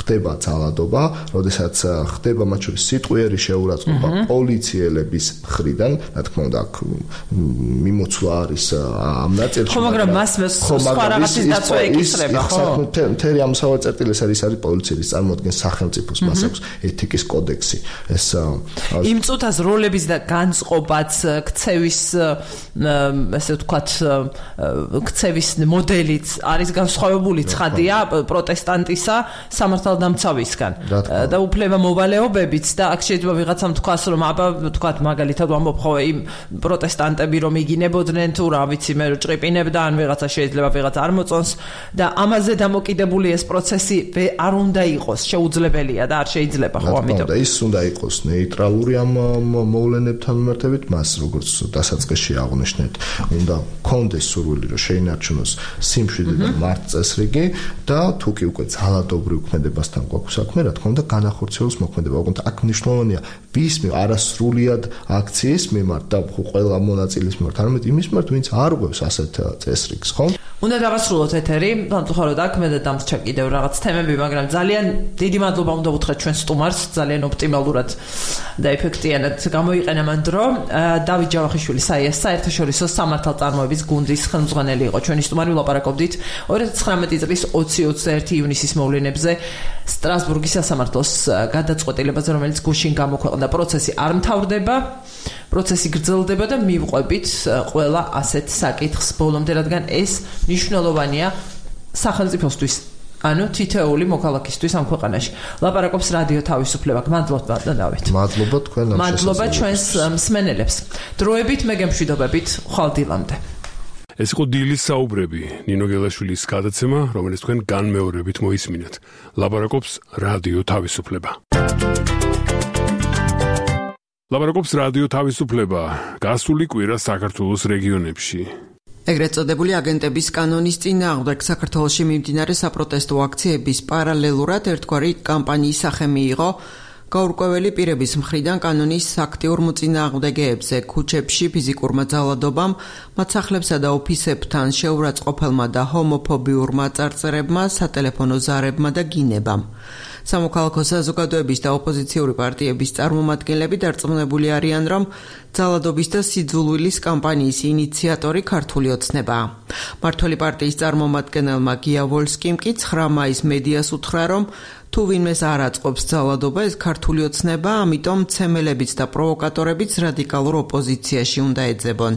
ხდება ძალადობა, როდესაც ხდება მათ შორის სიტყვიერი შეურაცხყოფა პოლიციელების მხრიდან, რა თქმა უნდა, აქ მიმოცვლა არის ამ ნაწილში. ხო, მაგრამ მას სხვა რაღაცის დაცვა ეკისრება, ხო? მთელი ამ სავაწერტილი ეს არის პოლიციის წარმოადგენს სახელმწიფოს, მას აქვს ეთიკის კოდექსი. ეს იმ წუთას როლების და განწყობაც ქცევის ესე ვთქვათ ქცევის მოდელიც არის განსხვავებული ცხადია პროტესტანტისა სამართალდამცავისგან და უფლება მოვალეობებიც და აქ შეიძლება ვიღაცამ თქვას რომ აბა ვთქვათ მაგალითად ვამბობ ხო იმ პროტესტანტები რომ იგინებოდნენ თუ რა ვიცი მე ჭრიპინებდა ან ვიღაცა შეიძლება ვიღაც არ მოწონს და ამაზე დამოკიდებული ეს პროცესი არ უნდა იყოს შეუძლებელია და არ შეიძლება ხო ამიტომ და ის უნდა იყოს ნეიტრალური ამ მოვლენებთან მიმართებით მას როგორც დასაწყისში აღნიშნეთ უნდა კონდეს სურვილი რომ შეინარჩუნოს სიმშვიდე და მართლწესრიგი და თუ კი უკვე ძალადობრივ ქმედებასთან გვაქვს საქმე რა თქმა უნდა განახორციელოს მოქმედება ოღონდ აქ მნიშვნელოვანია ვის არასრულად აქციის მიმართ და ყველა მონაწილის მიმართ არამედ იმის მიმართ ვინც არ ყვევს ასეთ წესრიგს ხო უნდა დავასრულოთ ეთერი სამწუხაროდ აქ მე და დამსჩა კიდევ რაღაც თემები მაგრამ ძალიან დიდი მადლობა უნდა ვუთხრათ ჩვენ სტუმარს ძალიან ოპტიმალურად და ეფექტიანად გამოიყენა მან დრო დავით ჯავახიშვილი საიეს საერთაშორისო სამართალწარმოების გუნდის ხელმძღვანელი იყო ჩვენი სტუმარი ვლაპარაკობდით ორი ათი ცხრამეტი წლის ოცი ოცდაერთი ივნისის მოვლენებზე სტრასბურგის სასამართლოს გადაწყვეტილებაზე რომელიც გუშინ გამოქვეყნდა პროცესი არ მთავრდება პროცესი გრძელდება და მივყვებით ყველა ასეთ საკითხს ბოლომდე რადგან ეს მნიშვნელოვანია სახელმწიფოსთვის ანუ თითოეული მოქალაქისთვის ამ ქვეყანაში. ლაპარაკობს რადიო თავისუფლება. მადლობა დავით. მადლობა თქვენ ამ მადლობა ჩვენს მსმენელებს. დროებით მე გემშვიდობებით ხვალ დილამდე. ეს იყო დილის საუბრები, ნინო გელაშვილის გადაცემა, რომელიც თქვენ განმეორებით მოისმინეთ. ლაპარაკობს რადიო თავისუფლება. ლაპარაკობს რადიო თავისუფლება. გასული კვირა საქართველოს რეგიონებში. ეგრეთ წოდებული აგენტების კანონის წინააღმდეგ საქართველოში მიმდინარე საპროტესტო აქციების პარალელურად ერთგვარი კამპანიის სახე მიიღო გაურკვეველი პირების მხრიდან კანონის აქტიურ მოწინააღმდეგეებზე ქუჩებში ფიზიკურმა ძალადობამ, მათ სახლებსა და ოფისებთან შეურაცხყოფელმა და ჰომოფობიურმა წარწერებმა, სატელეფონო ზარებმა და გინებამ. სამოქალაქო საზოგადოების და ოპოზიციური პარტიების წარმომადგენლები დარწმუნებული არიან, რომ ძალადობის და სიძულვილის კამპანიის ინიციატორი ქართული ოცნებაა. მართველი პარტიის წარმომადგენელმა გია ვოლსკიმ კი ცხრა მაისს მედიას უთხრა, რომ თუ ვინმეს არ აწყობს ძალადობა, ეს ქართული ოცნებაა, ამიტომ მცემელებიც და პროვოკატორებიც რადიკალურ ოპოზიციაში უნდა ეძებონ.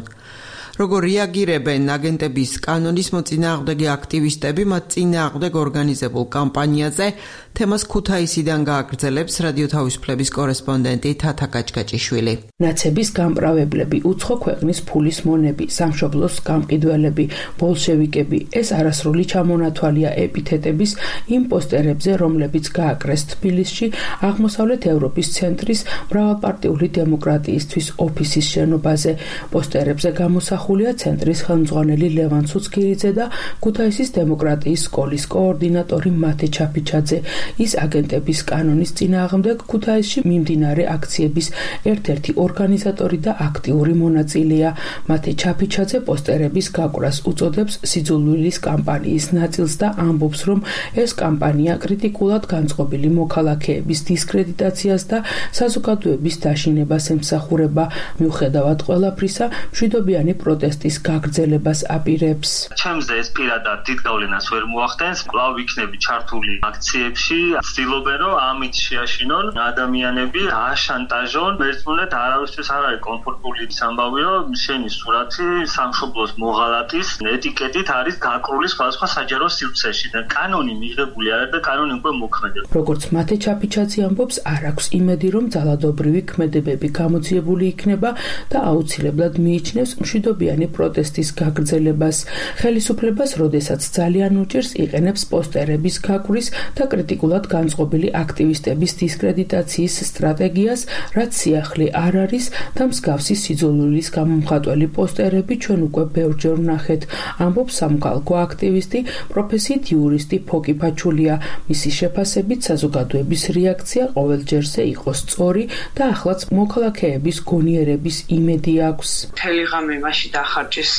როგორ რეაგირებენ აგენტების კანონის მოწინააღმდეგე აქტივისტები მათ წინააღმდეგ ორგანიზებულ კამპანიაზე თემას ქუთაისიდან გააგრძელებს რადიო თავისუფლების კორესპონდენტი თათა კაჭკაჭიშვილი. ნაცების გამპრავებლები, უცხო ქვეყნის ფულის მონები, სამშობლოს გამყიდველები, ბოლშევიკები ეს არასრული ჩამონათვალია ეპითეტების იმ პოსტერებზე, რომლებიც გააკრეს თბილისში აღმოსავლეთ ევროპის ცენტრის მრავალპარტიული დემოკრატიისთვის ოფისის შენობაზე. პოსტერებზე გამოსახულია ცენტრის ხელმძღვანელი ლევან ცუცქირიძე და ქუთაისის დემოკრატიის სკოლის კოორდინატორი მათე ჩაფიჩაძე. ის აგენტების კანონის წინააღმდეგ ქუთაისში მიმდინარე აქციების ერთ-ერთი ორგანიზატორი და აქტიური მონაწილეა. მათე ჩაფიჩაძე პოსტერების გაკვრას უწოდებს სიძულვილის კამპანიის ნაწილს და ამბობს, რომ ეს კამპანია კრიტიკულად განწყობილი მოქალაქეების დისკრედიტაციას და საზოგადოების დაშინებას ემსახურება. მიუხედავად ყველაფრისა, მშვიდობიანი პროტესტის გაგრძელებას აპირებს. ჩემზე ეს პირადად დიდ გავლენას ვერ მოახდენს. კვლავ ვიქნები ჩართული აქციებში ცდილობენ რომ ამით შეაშინონ ადამიანები, აშანტაჟონ, ერთმანეთ არავისთვის არ არის კომფორტული ის ამბავი, რომ შენი სურათი სამშობლოს მოღალატის ეტიკეტით არის გაკრული სხვადასხვა საჯარო სივრცეში და კანონი მიღებული არის და კანონი უკვე მოქმედებს. როგორც მათე ჩაფიჩაძე ამბობს, არ აქვს იმედი, რომ ძალადობრივი ქმედებები გამოძიებული იქნება და აუცილებლად მიიჩნევს მშვიდობიანი პროტესტის გაგრძელებას. ხელისუფლებას, როდესაც ძალიან უჭირს, იყენებს პოსტერების გაკვრის და კრიტიკულად განწყობილი აქტივისტების დისკრედიტაციის სტრატეგიას, რაც სიახლე არ არის და მსგავსი სიძულვილის გამომხატველი პოსტერები ჩვენ უკვე ბევრჯერ ვნახეთ, ამბობს სამოქალაქო აქტივისტი, პროფესიით იურისტი ფოკი ფაჩულია. მისი შეფასებით საზოგადოების რეაქცია ყოველჯერზე იყოს სწორი და ახლაც მოქალაქეების გონიერების იმედი აქვს. მთელი ღამე მაშინ დახარჯეს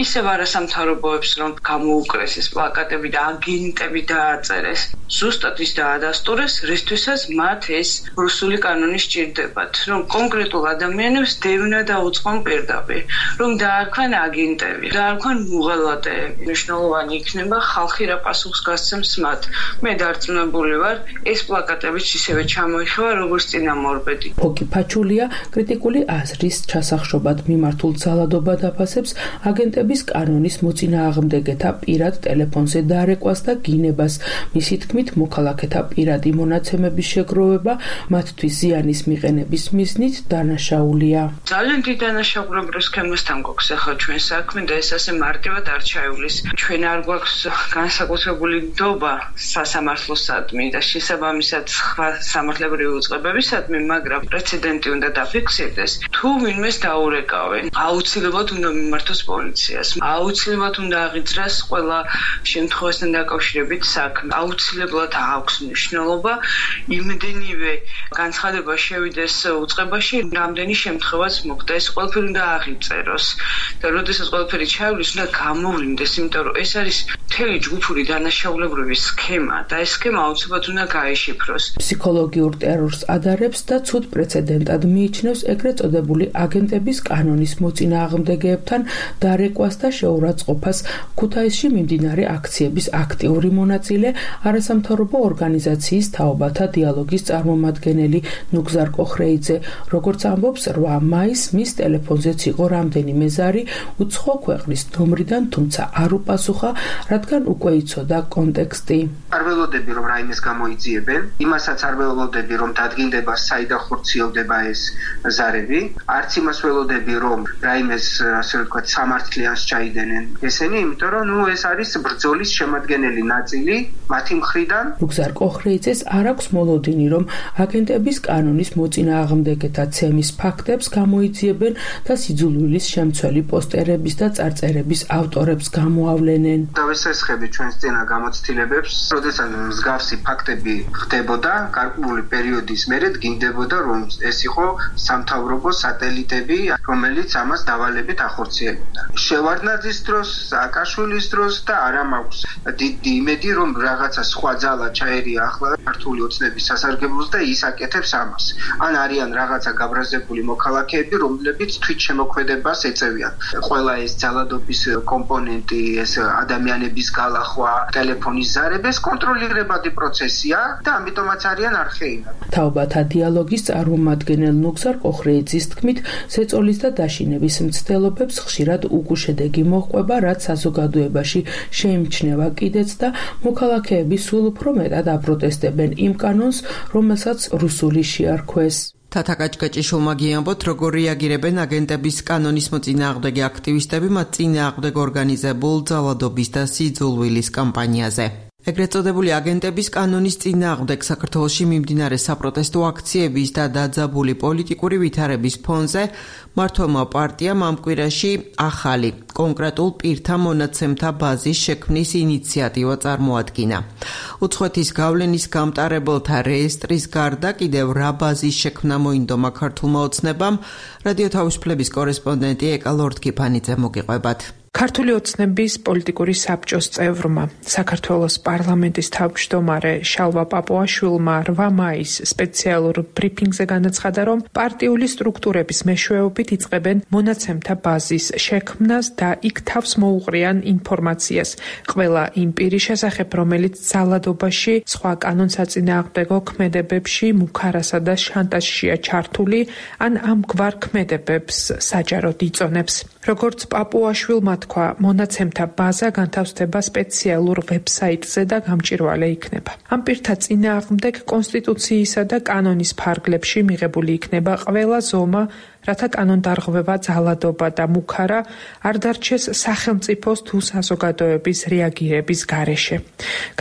ისევ არასამთავრობოებს, რომ გამოუკრეს ეს პლაკატები და აგენტები დააწერეს. ზუსტად ის დაადასტურეს, რისთვისაც მათ ეს რუსული კანონი სჭირდებათ, რომ კონკრეტულ ადამიანებს დევნა დაუწყონ პირდაპირ, რომ დაარქვენ აგენტები, დაარქვენ მუღალატეები. მნიშვნელოვანი იქნება ხალხი რა პასუხს გასცემს მათ. მე დარწმუნებული ვარ, ეს პლაკატებიც ისევე ჩამოიხვა, როგორც წინამორბედი. ფოკი ფაჩულია კრიტიკული აზრის ჩასახშობად მიმართულ ძალადობა დაფასებს აგენტების კანონის მოწინააღმდეგეთა პირად ტელეფონზე დარეკვას და გინებას. მისი თქმით, მოქალაქეთა პირადი მონაცემების შეგროვება მათთვის ზიანის მიყენების მიზნით დანაშაულია. ძალიან დიდ დანაშაულებრივ სქემასთან გვაქვს ახლა ჩვენ საქმე და ეს ასე მარტივად არ ჩაივლის. ჩვენ არ გვაქვს განსაკუთრებული ნდობა სასამართლოსადმი და შესაბამისად სხვა სამართლებრივი უწყებებისადმი, მაგრამ პრეცედენტი უნდა დაფიქსირდეს. თუ ვინმეს დაურეკავენ, აუცილებლად უნდა მიმართოს პოლიციას. აუცილებლად უნდა აღიძრას ყველა შემთხვევასთან დაკავშირებით საქმე. აუცილებლად აქვს მნიშვნელობა იმდენივე განცხადება შევიდეს უწყებაში, რამდენი შემთხვევაც მოხდა. ეს ყველაფერი უნდა აღიწეროს და როდესაც ყველაფერი ჩაივლის, უნდა გამოვლინდეს, იმიტომ რომ ეს არის მთელი ჯგუფური დანაშაულებრივი სქემა და ეს სქემა აუცილებლად უნდა გაეშიფროს. ფსიქოლოგიურ ტერორს ადარებს და ცუდ პრეცედენტად მიიჩნევს ეგრეთ წოდებული აგენტების კანონის მოწინააღმდეგეებთან დარეკვას და შეურაცხყოფას. ქუთაისში მიმდინარე აქციების აქტიური მონაწილე არასამთავრობო ორგანიზაციის თაობათა დიალოგის წარმომადგენელი ნუგზარ კოხრეიძე. როგორც ამბობს, რვა მაისს მის ტელეფონზეც იყო რამდენიმე ზარი უცხო ქვეყნის ნომრიდან, თუმცა არ უპასუხა, რადგან უკვე იცოდა კონტექსტი. არ ველოდები, რომ რაიმეს გამოიძიებენ, იმასაც არ ველოდები, რომ დადგინდება საიდან ხორციელდება ეს ზარები, არც იმას ველოდები, რომ რაიმეს, ასე ვთქვათ, სამართლიანს ჩაიდენენ ესენი, იმიტომ რომ ნუ ეს არის ბრძოლის შემადგენელი ნაწილი მათი მხრიდან. ნუგზარ კოხრეიძეს არ აქვს მოლოდინი, რომ აგენტების კანონის მოწინააღმდეგეთა ცემის ფაქტებს გამოიძიებენ და სიძულვილის შემცველი პოსტერების და წარწერების ავტორებს გამოავლენენ. დავესესხები ჩვენს წინა გამოცდილებებს, როდესაც მსგავსი ფაქტები ხდებოდა, გარკვეული პერიოდის მერე დგინდებოდა, რომ ეს იყო სამთავრობო სატელიტები, რომელიც ამას დავალებით ახორციელებდა. შევარდნაძის დროს, სააკაშვილის დროს და არა მაქვს დიდი იმედი, რომ რაღაცა სხვა ძალა ჩაერია ახლა ქართული ოცნების სასარგებლოს და ის აკეთებს ამას. ან არიან რაღაცა გაბრაზებული მოქალაქეები, რომლებიც თვით შემოქმედებას ეწევიან. ყველა ეს ძალადობის კომპონენტი, ეს ადამიანების გალახვა, ტელეფონის ზარები, ეს კონტროლირებადი პროცესია და ამიტომაც არიან არხეინად. თაობათა დიალოგის წარმომადგენელ ნუგზარ კოხრეიძის თქმით, ზეწოლის და დაშინების მცდელობებს ხშირად უგუშედეგი მოჰყვება, რაც საზოგადოებაში შეიმჩნევა კიდეც და მოქალაქეები სულ უფრო მეტად აპროტესტებენ იმ კანონს, რომელსაც რუსული შეარქვეს. თათა კაჭკაჭიშვილმა გიამბოთ, როგორ რეაგირებენ აგენტების კანონის მოწინააღმდეგე აქტივისტები მათ წინააღმდეგ ორგანიზებულ ძალადობის და სიძულვილის კამპანიაზე. ეგრეთ წოდებული აგენტების კანონის წინააღმდეგ საქართველოში მიმდინარე საპროტესტო აქციების და დაძაბული პოლიტიკური ვითარების ფონზე მართლმა პარტიამ ამ კვირაში ახალი კონკრეტულ პირთა მონაცემთა ბაზის შექმნის ინიციატივა წარმოადგინა. უცხოეთის გავლენის გამტარებელთა რეესტრის გარდა კიდევ რა ბაზის შექმნა მოინდომა ქართულმა ოცნებამ, რადიო თავისუფლების კორესპონდენტი ეკა ლორდ-კიფანიძე მოგიყვებათ. ქართული ოცნების პოლიტიკური საბჭოს წევრმა, საქართველოს პარლამენტის თავმჯდომარე შალვა პაპუაშვილმა რვა მაისს სპეციალურ ბრიფინგზე განაცხადა, რომ პარტიული სტრუქტურების მეშვეობით იწყებენ მონაცემთა ბაზის შექმნას და იქ თავს მოუყრიან ინფორმაციას ყველა იმ პირის შესახებ, რომელიც ძალადობაში, სხვა კანონსაწინააღმდეგო ქმედებებში, მუქარასა და შანტაჟშია ჩართული, ან ამგვარ ქმედებებს საჯაროდ იწონებს. როგორც პაპუაშვილმა თქვა, მონაცემთა ბაზა განთავსდება სპეციალურ ვებსაიტზე და გამჭვირვალე იქნება. ამ პირთა წინააღმდეგ კონსტიტუციისა და კანონის ფარგლებში მიღებული იქნება ყველა ზომა, რათა კანონდარღვევა, ძალადობა და მუქარა არ დარჩეს სახელმწიფოს თუ საზოგადოების რეაგირების გარეშე.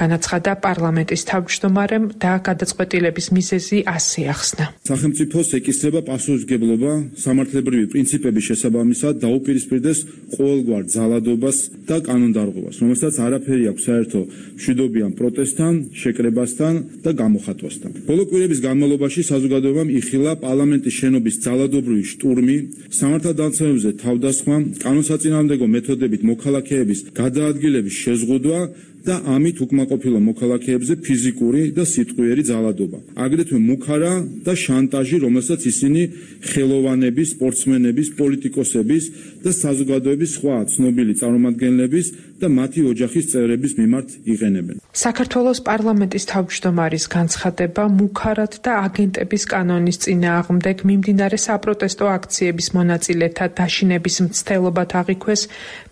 განაცხადა პარლამენტის თავმჯდომარემ და გადაწყვეტილების მიზეზი ასე ახსნა. სახელმწიფოს ეკისრება პასუხისმგებლობა სამართლებრივი პრინციპების შესაბამისად დაუპირისპირდეს ყოველგვარ ძალადობას და კანონდარღვევას, რომელსაც არაფერი აქვს საერთო მშვიდობიან პროტესტთან, შეკრებასთან და გამოხატვასთან. ბოლო კვირების განმავლობაში საზოგადოებამ იხილა პარლამენტის შენობის ძალადობრივი შტურმი, სამართალდამცავებზე თავდასხმა, კანონსაწინააღმდეგო მეთოდებით მოქალაქეების გადაადგილების შეზღუდვა და ამით უკმაყოფილო მოქალაქეებზე ფიზიკური და სიტყვიერი ძალადობა. აგრეთვე მუქარა და შანტაჟი, რომელსაც ისინი ხელოვანების, სპორტსმენების, პოლიტიკოსების და საზოგადოების სხვა ცნობილი წარმომადგენლების და მათი ოჯახის წევრების მიმართ იყენებენ. საქართველოს პარლამენტის თავმჯდომარის განცხადება მუქარად და აგენტების კანონის წინააღმდეგ მიმდინარე საპროტესტო აქციების მონაწილეთა დაშინების მცდელობად აღიქვეს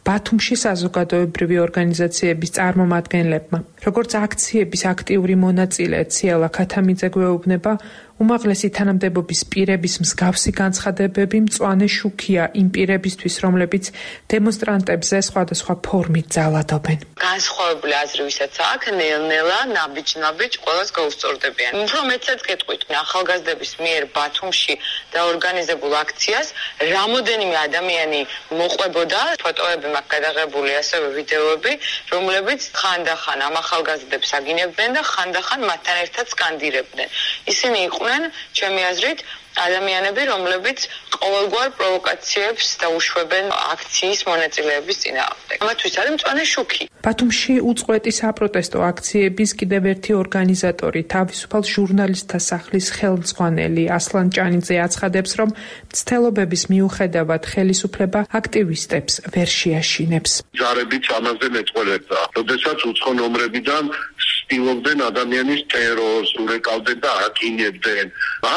ბათუმში საზოგადოებრივი ორგანიზაციების წარმომადგენლებმა. როგორც აქციების აქტიური მონაწილე ციალა ქათამიძე გვეუბნება, უმაღლესი თანამდებობის პირების მსგავსი განცხადებები მწვანე შუქია იმ პირებისთვის, რომლებიც დემონსტრანტებზე სხვადასხვა ფორმით ძალადობენ. განსხვავებული აზრი ვისაც აქვს, ნელ-ნელა, ნაბიჯ-ნაბიჯ ყველას გაუსწორდებიან. უფრო მეტსაც გეტყვით, ახალგაზრდების მიერ ბათუმში დაორგანიზებულ აქციას რამოდენიმე ადამიანი მოყვებოდა, ფოტოები მაქვს გადაღებული, ასევე ვიდეოები, რომლებიც ხანდახან ამ ახალგაზრდებს აგინებდნენ და ხანდახან მათთან ერთად სკანდირებდნენ. ისინი იყვნენ ჩემი აზრით ადამიანები, რომლებიც ყოველგვარ პროვოკაციებს დაუშვებენ აქციის მონაწილეების წინააღმდეგ. ამათთვის არის მწვანე შუქი. ბათუმში უწყვეტი საპროტესტო აქციების კიდევ ერთი ორგანიზატორი, თავისუფალ ჟურნალისტთა სახლის ხელმძღვანელი ასლან ჭანიძე აცხადებს, რომ მცდელობების მიუხედავად ხელისუფლება აქტივისტებს ვერ შეაშინებს. ჯარებიც ამაზე მეწყვილებდა. როდესაც უცხო ნომრებიდან ცდილობდნენ ადამიანის ტერორს, ურეკავდნენ და აკინებდნენ.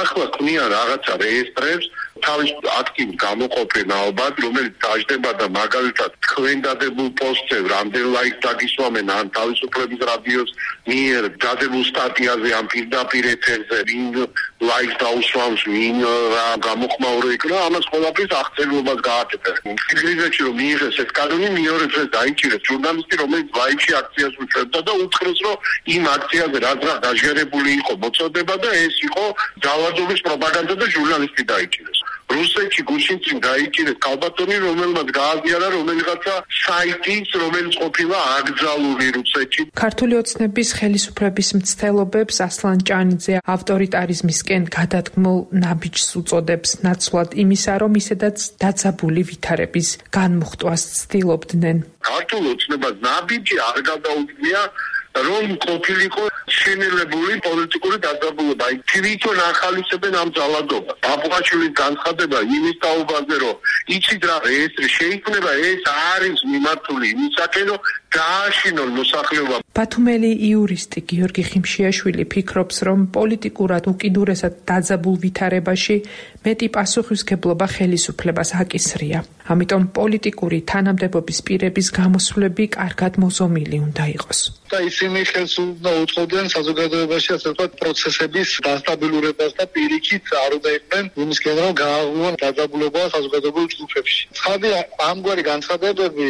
ახლა ქმნიან რაღაცა რეესტრებს, თავის აქტივ გამოყოფენ ალბათ, რომელიც დაждდება და მაგალითად თქვენ დადებულ პოსტზე რამდენ ლაიქს დაგისვამენ ან თავისუფლების რადიოს მიერ დადებულ სტატიაზე ან პირდაპირ ეთერზე ვინ ლაიქს დაუსვამს, ვინ რა გამოხმაურე იქნება, ამას ყველაფრის აღწერილობას გააკეთებენ. ფიქრობთ რომ მიიღეს ეს კანონი მეორე დღეს დაიჭირეს ჟურნალისტი, რომელიც ლაიქში აქციას უშვებდა და უთხრეს, რომ იმ აქციაზე რაც რა დაჟღერებული იყო მოწოდება და ეს იყო ძალადობის პროპაგანდა და ჟურნალისტი დაიჭირეს. რუსეთში გუშინ წინ დაიჭირეს კალბატონი, რომელმაც გააზიარა რომელიღაცა საიტის, რომელიც ყოფილა აკრძალული რუსეთში. ქართული ოცნების ხელისუფლების მცდელობებს ასლან ჭანიძე ავტორიტარიზმისკენ გადადგმულ ნაბიჯს უწოდებს, ნაცვლად იმისა, რომ ისედაც დაძაბული ვითარების განმუხტვას ცდილობდნენ. ქართულ ოცნებას ნაბიჯი არ გადაუდგია, რომ ყოფილიყო შენელებული პოლიტიკური დაძაბულობა. თვითონ ახალისებენ ამ ძალადობას. აბუაშვილის განცხადება იმის თაობაზე, რომ იცით რა, რეესტრი შეიქმნება, ეს არის მიმართული იმისაკენ, რომ დააშინონ მოსახლეობა. ბათუმელი იურისტი გიორგი ხიმშიაშვილი ფიქრობს, რომ პოლიტიკურად უკიდურესად დაძაბულ ვითარებაში მეტი პასუხისმგებლობა ხელისუფლებას აკისრია. ამიტომ პოლიტიკური თანამდებობის პირების გამოსვლები კარგად მოზომილი უნდა იყოს. და ისინი ხელს უნდა უწყობდნენ საზოგადოებაში ასე ვთქვათ პროცესების დასტაბილურებას და პირიქით არ უნდა იყვნენ იმისკენ, რომ გააღვივონ დაძაბულობა საზოგადოებრივ ჯგუფებში. ცხადია, ამგვარი განცხადებები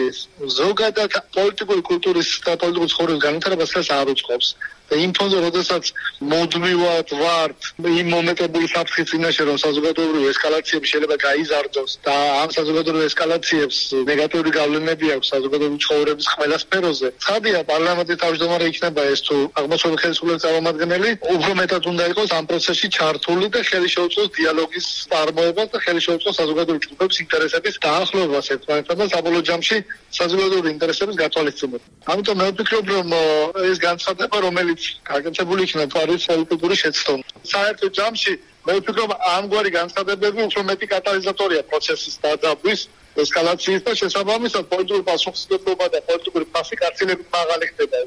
ზოგადად პოლიტიკური კულტურის და პოლიტიკური ცხოვრების განვითარებას ხელს არ უწყობს. და იმ ფონზე, როდესაც მოდმივად ვართ იმ მომენტებული საფრთხის წინაშე, რომ საზოგადოებრივი ესკალაციები შეიძლება გაიზარდოს და ამ საზოგადოებრივ ესკალაციებს ნეგატიური გავლენები აქვს საზოგადოებრივი ცხოვრების ყველა სფეროზე. ცხადია, პარლამენტის თავმჯდომარე იქნება ეს თუ აღმოსავლეთ ხელისუფლების წარმომადგენელი, უფრო მეტად უნდა იყოს ამ პროცესში ჩართული და ხელი შეუწყოს დიალოგის წარმოებას და ხელი შეუწყოს საზოგადოებრივი ჯგუფების ინტერესების დაახლოებას ერთმანეთთან და საბოლოო ჯამში საზოგადოებრივი ინტერესების გათვალისწინებას. ამიტომ მე ვფიქრობ, რომ ეს განცხადება, რომელიც გაკეთებული იქნება არის პოლიტიკური შეცდომა. საერთო ჯამში მე ვფიქრობ, ამგვარი განცხადებები უფრო მეტი კატალიზატორია პროცესის დაძაბვის, ესკალაციის და შესაბამისად პოლიტიკური პასუხისმგებლობა და პოლიტიკური ფასი კაცილებით მაღალი ხდება.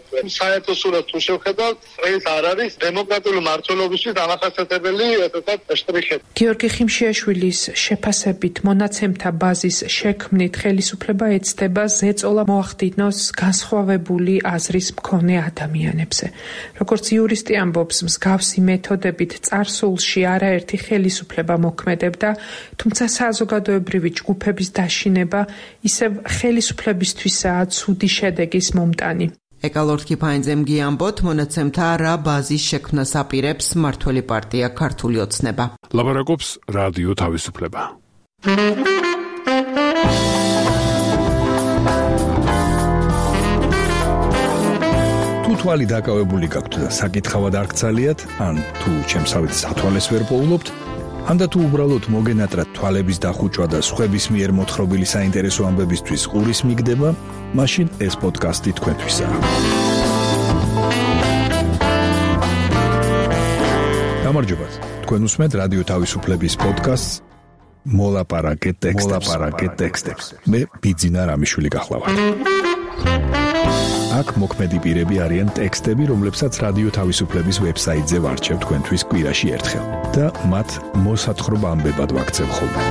საერთო სურათს თუ შევხედავთ, ეს არ არის დემოკრატიული მმართველობისთვის დამახასიათებელი ესეთ შტრიხი. გიორგი ხიმშიაშვილის შეფასებით მონაცემთა ბაზის შექმნით ხელისუფლება ეცდება ზეწოლა მოახდინოს განსხვავებული აზრის მქონე ადამიანებზე. როგორც იურისტი ამბობს, მსგავსი მეთოდებით წარსულში არაერთი ხელისუფლება მოქმედებდა, თუმცა საზოგადოებრივი ჯგუფების შინება ისევ ხელისუფლებისთვისაა ცუდი შედეგის მომტანი. ეკალორთკი ფაინძემ გიამბოთ, მონაცემთა რა ბაზის შექმნას აპირებს მმართველი პარტია ქართული ოცნება. ლაბარაკობს რადიო თავისუფლება. თუ თვალი დაკავებული გაქვთ და საკითხავად არ გცალიათ, ან თუ ჩემსავით სათვალეს ვერ პოულობთ, ანდა თუ უბრალოდ მოგენატრათ თვალების დახუჭვა და სხვების მიერ მოთხრობილი საინტერესო ამბებისთვის ყურის მიგდება, მაშინ ეს პოდკასტი თქვენთვისაა. გამარჯობათ. თქვენ უსმენთ რადიო თავისუფლების პოდკასტს მოლაპარაკე ტექსტებს. მოლაპარაკე ტექსტებს. მე ბიძინა რამიშვილი გახლავართ. აქ მოქმედი პირები არიან ტექსტები, რომლებსაც რადიო თავისუფლების ვებსაიტზე ვარჩევ თქვენთვის კვირაში ერთხელ და მათ მოსათხრობა ამბებად ვაქცევ ხოლმე.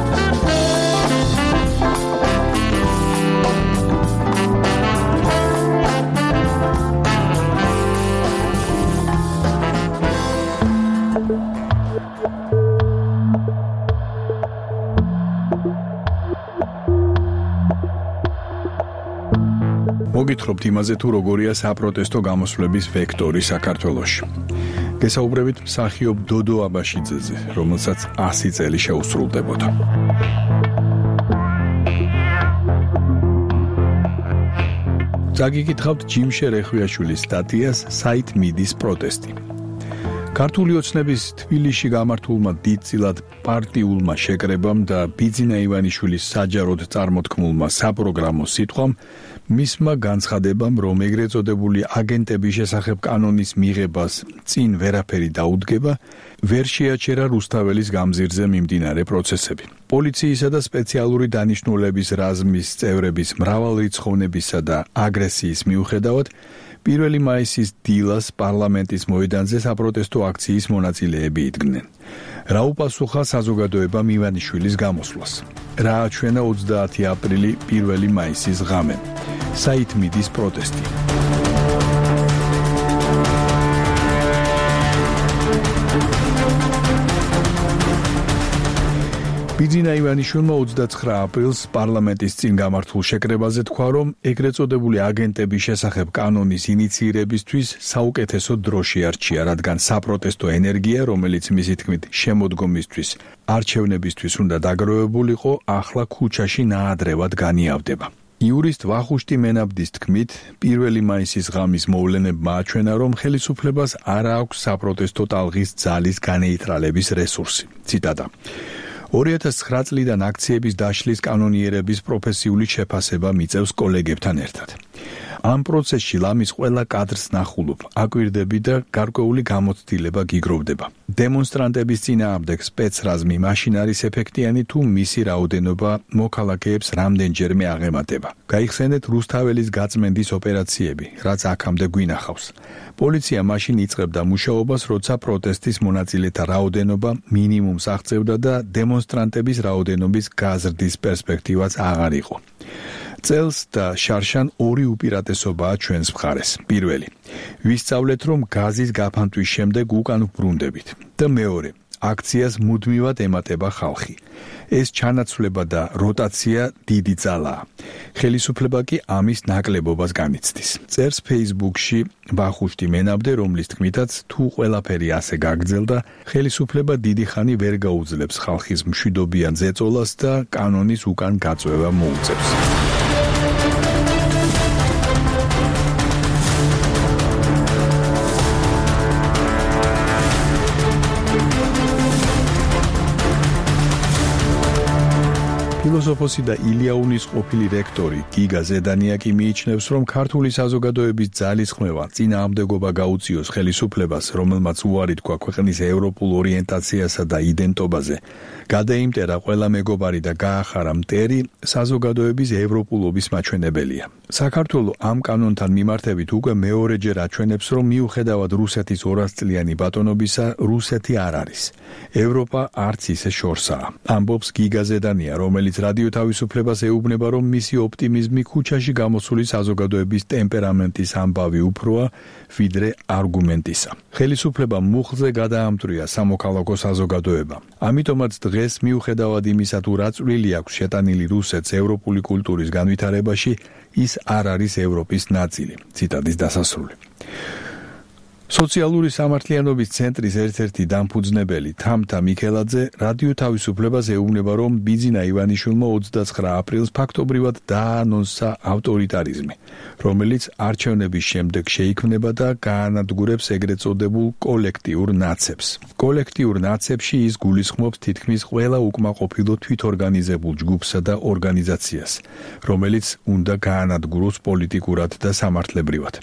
მოგითხრობთ იმაზე თუ როგორია საპროტესტო გამოსვლების ვექტორი საქართველოში. გესაუბრებით მსახიობ დოდო აბაშიძეზე, რომელსაც ასი წელი შეუსრულდებოდა. წაგიკითხავთ ჯიმშე რეხვიაშვილის სტატიას საით მიდის პროტესტი. ქართული ოცნების თბილისში გამართულმა დიდწილად პარტიულმა შეკრებამ და ბიძინა ივანიშვილის საჯაროდ წარმოთქმულმა საპროგრამო სიტყვამ მისმა განცხადებამ, რომ ეგრეთ წოდებული აგენტების შესახებ კანონის მიღებას წინ ვერაფერი დაუდგება, ვერ შეაჩერა რუსთაველის გამზირზე მიმდინარე პროცესები. პოლიციისა და სპეციალური დანიშნულების რაზმის წევრების მრავალრიცხოვნებისა და აგრესიის მიუხედავად, პირველი მაისის დილას პარლამენტის მოედანზე საპროტესტო აქციის მონაწილეები იდგნენ. რა უპასუხა საზოგადოებამ ივანიშვილის გამოსვლას? რა აჩვენა ოცდაათი აპრილი პირველი მაისის ღამე? საით მიდის პროტესტი? ბიძინა ივანიშვილმა ოცდაცხრა აპრილს პარლამენტის წინ გამართულ შეკრებაზე თქვა, რომ ეგრეთ წოდებული აგენტების შესახებ კანონის ინიცირებისთვის საუკეთესო დრო შეარჩია, რადგან საპროტესტო ენერგია, რომელიც მისი თქმით შემოდგომისთვის, არჩევნებისთვის უნდა დაგროვებულიყო, ახლა ქუჩაში ნაადრევად განიავდება. იურისტ ვახუშტი მენაბდის თქმით, პირველი მაისის ღამის მოვლენებმა აჩვენა, რომ ხელისუფლებას არ აქვს საპროტესტო ტალღის ძალის განეიტრალების რესურსი. ციტატა. ორი ათას ცხრა წლიდან აქციების დაშლის კანონიერების პროფესიული შეფასება მიწევს კოლეგებთან ერთად. ამ პროცესში ლამის ყველა კადრს ნახულობ, აკვირდები და გარკვეული გამოცდილება გიგროვდება. დემონსტრანტების წინააღმდეგ სპეცრაზმი მაშინ არის ეფექტიანი, თუ მისი რაოდენობა მოქალაქეებს რამდენჯერმე აღემატება. გაიხსენეთ რუსთაველის გაწმენდის ოპერაციები, რაც აქამდე გვინახავს. პოლიცია მაშინ იწყებდა მუშაობას, როცა პროტესტის მონაწილეთა რაოდენობა მინიმუმს აღწევდა და დემონსტრანტების რაოდენობის გაზრდის პერსპექტივაც აღარ იყო. წელს და შარშან ორი უპირატესობაა ჩვენს მხარეს. პირველი, ვისწავლეთ, რომ გაზის გაფანტვის შემდეგ უკან ვბრუნდებით და მეორე, აქციას მუდმივად ემატება ხალხი. ეს ჩანაცვლება და როტაცია დიდი ძალაა. ხელისუფლება კი ამის ნაკლებობას განიცდის. წერს Facebook-ში ვახუშტი მენაბდე, რომლის თქმითაც თუ ყველაფერი ასე გაგრძელდა, ხელისუფლება დიდი ხანი ვერ გაუძლებს ხალხის მშვიდობიან ზეწოლას და კანონის უკან გაწვევა მოუწევს. ფილოსოფოსი და ილიაუნის ყოფილი რექტორი გიგა ზედანიაკი მიიჩნევს, რომ ქართული საზოგადოების ძალისხმევა წინააღმდეგობა გაუწიოს ხელისუფლებას, რომელმაც უარი თქვა ქვეყნის ევროპულ ორიენტაციასა და იდენტობაზე, გადაიმტერა ყველა მეგობარი და გაახარა მტერი, საზოგადოების ევროპულობის მაჩვენებელია. საქართველოს ამ კანონთან მიმართებით უკვე მეორეჯერ აჩვენებს, რომ მიუხედავად რუსეთის ორასწლიანი ბატონობისა, რუსეთი არ არის. ევროპა არც ისე შორსაა. ამბობს გიგა ზედანია, რომელიც რადიო თავისუფლებას ეუბნება, რომ მისი ოპტიმიზმი ქუჩაში გამოსული საზოგადოების ტემპერამენტის ამბავი უფროა, ვიდრე არგუმენტისა. ხელისუფლება მუხლზე გადაამტრია სამოქალაქო საზოგადოება. ამიტომაც დღეს მიუხედავად იმისა, თუ რა წვლილი აქვს შეტანილი რუსეთს ევროპული კულტურის განვითარებაში, ის არ არის ევროპის ნაწილი. ციტატის დასასრული. სოციალური სამართლიანობის ცენტრის ერთ-ერთი დამფუძნებელი თამთა მიქელაძე რადიო თავისუფლებას ეუბნება, რომ ბიძინა ივანიშვილმა ოცდაცხრა აპრილს ფაქტობრივად დაანონსა ავტორიტარიზმი, რომელიც არჩევნების შემდეგ შეიქმნება და გაანადგურებს ეგრეთ წოდებულ კოლექტიურ ნაცებს. კოლექტიურ ნაცებში ის გულისხმობს თითქმის ყველა უკმაყოფილო თვითორგანიზებულ ჯგუფსა და ორგანიზაციას, რომელიც უნდა გაანადგუროს პოლიტიკურად და სამართლებრივად.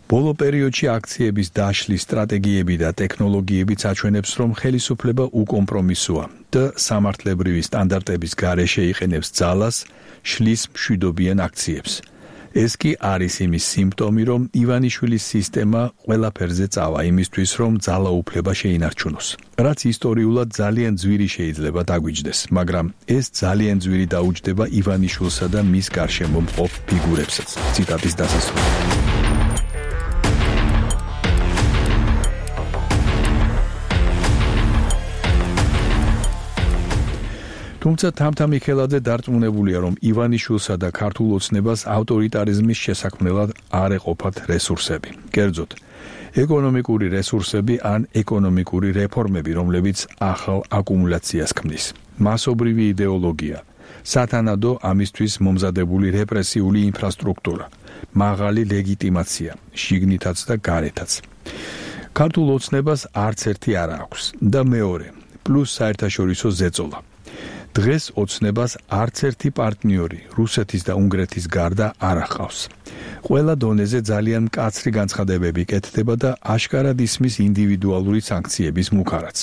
ბოლო პერიოდში აქციების დაშლის სტრატეგიები და ტექნოლოგიებიც აჩვენებს, რომ ხელისუფლება უკომპრომისოა და სამართლებრივი სტანდარტების გარეშე იყენებს ძალას, შლის მშვიდობიან აქციებს. ეს კი არის იმის სიმპტომი, რომ ივანიშვილის სისტემა ყველაფერზე წავა იმისთვის, რომ ძალაუფლება შეინარჩუნოს. რაც ისტორიულად ძალიან ძვირი შეიძლება დაგვიჯდეს, მაგრამ ეს ძალიან ძვირი დაუჯდება ივანიშვილსა და მის გარშემო მყოფ ფიგურებსაც. ციტატის დასასრული. თუმცა თამთა მიქელაძე დარწმუნებულია, რომ ივანიშვილსა და ქართულ ოცნებას ავტორიტარიზმის შესაქმნელად არ ეყოფათ რესურსები. კერძოდ, ეკონომიკური რესურსები ან ეკონომიკური რეფორმები, რომლებიც ახალ აკუმულაციას ქმნის. მასობრივი იდეოლოგია, სათანადო ამისთვის მომზადებული რეპრესიული ინფრასტრუქტურა, მაღალი ლეგიტიმაცია, შიგნითაც და გარეთაც. ქართულ ოცნებას არც ერთი არ აქვს და მეორე, პლუს საერთაშორისო ზეწოლა. დღეს ოცნებას არც ერთი პარტნიორი რუსეთის და უნგრეთის გარდა არ ახავს. ყველა დონეზე ძალიან მკაცრი განცხადებები კეთდება და აშკარად ისმის ინდივიდუალური სანქციების მუქარაც.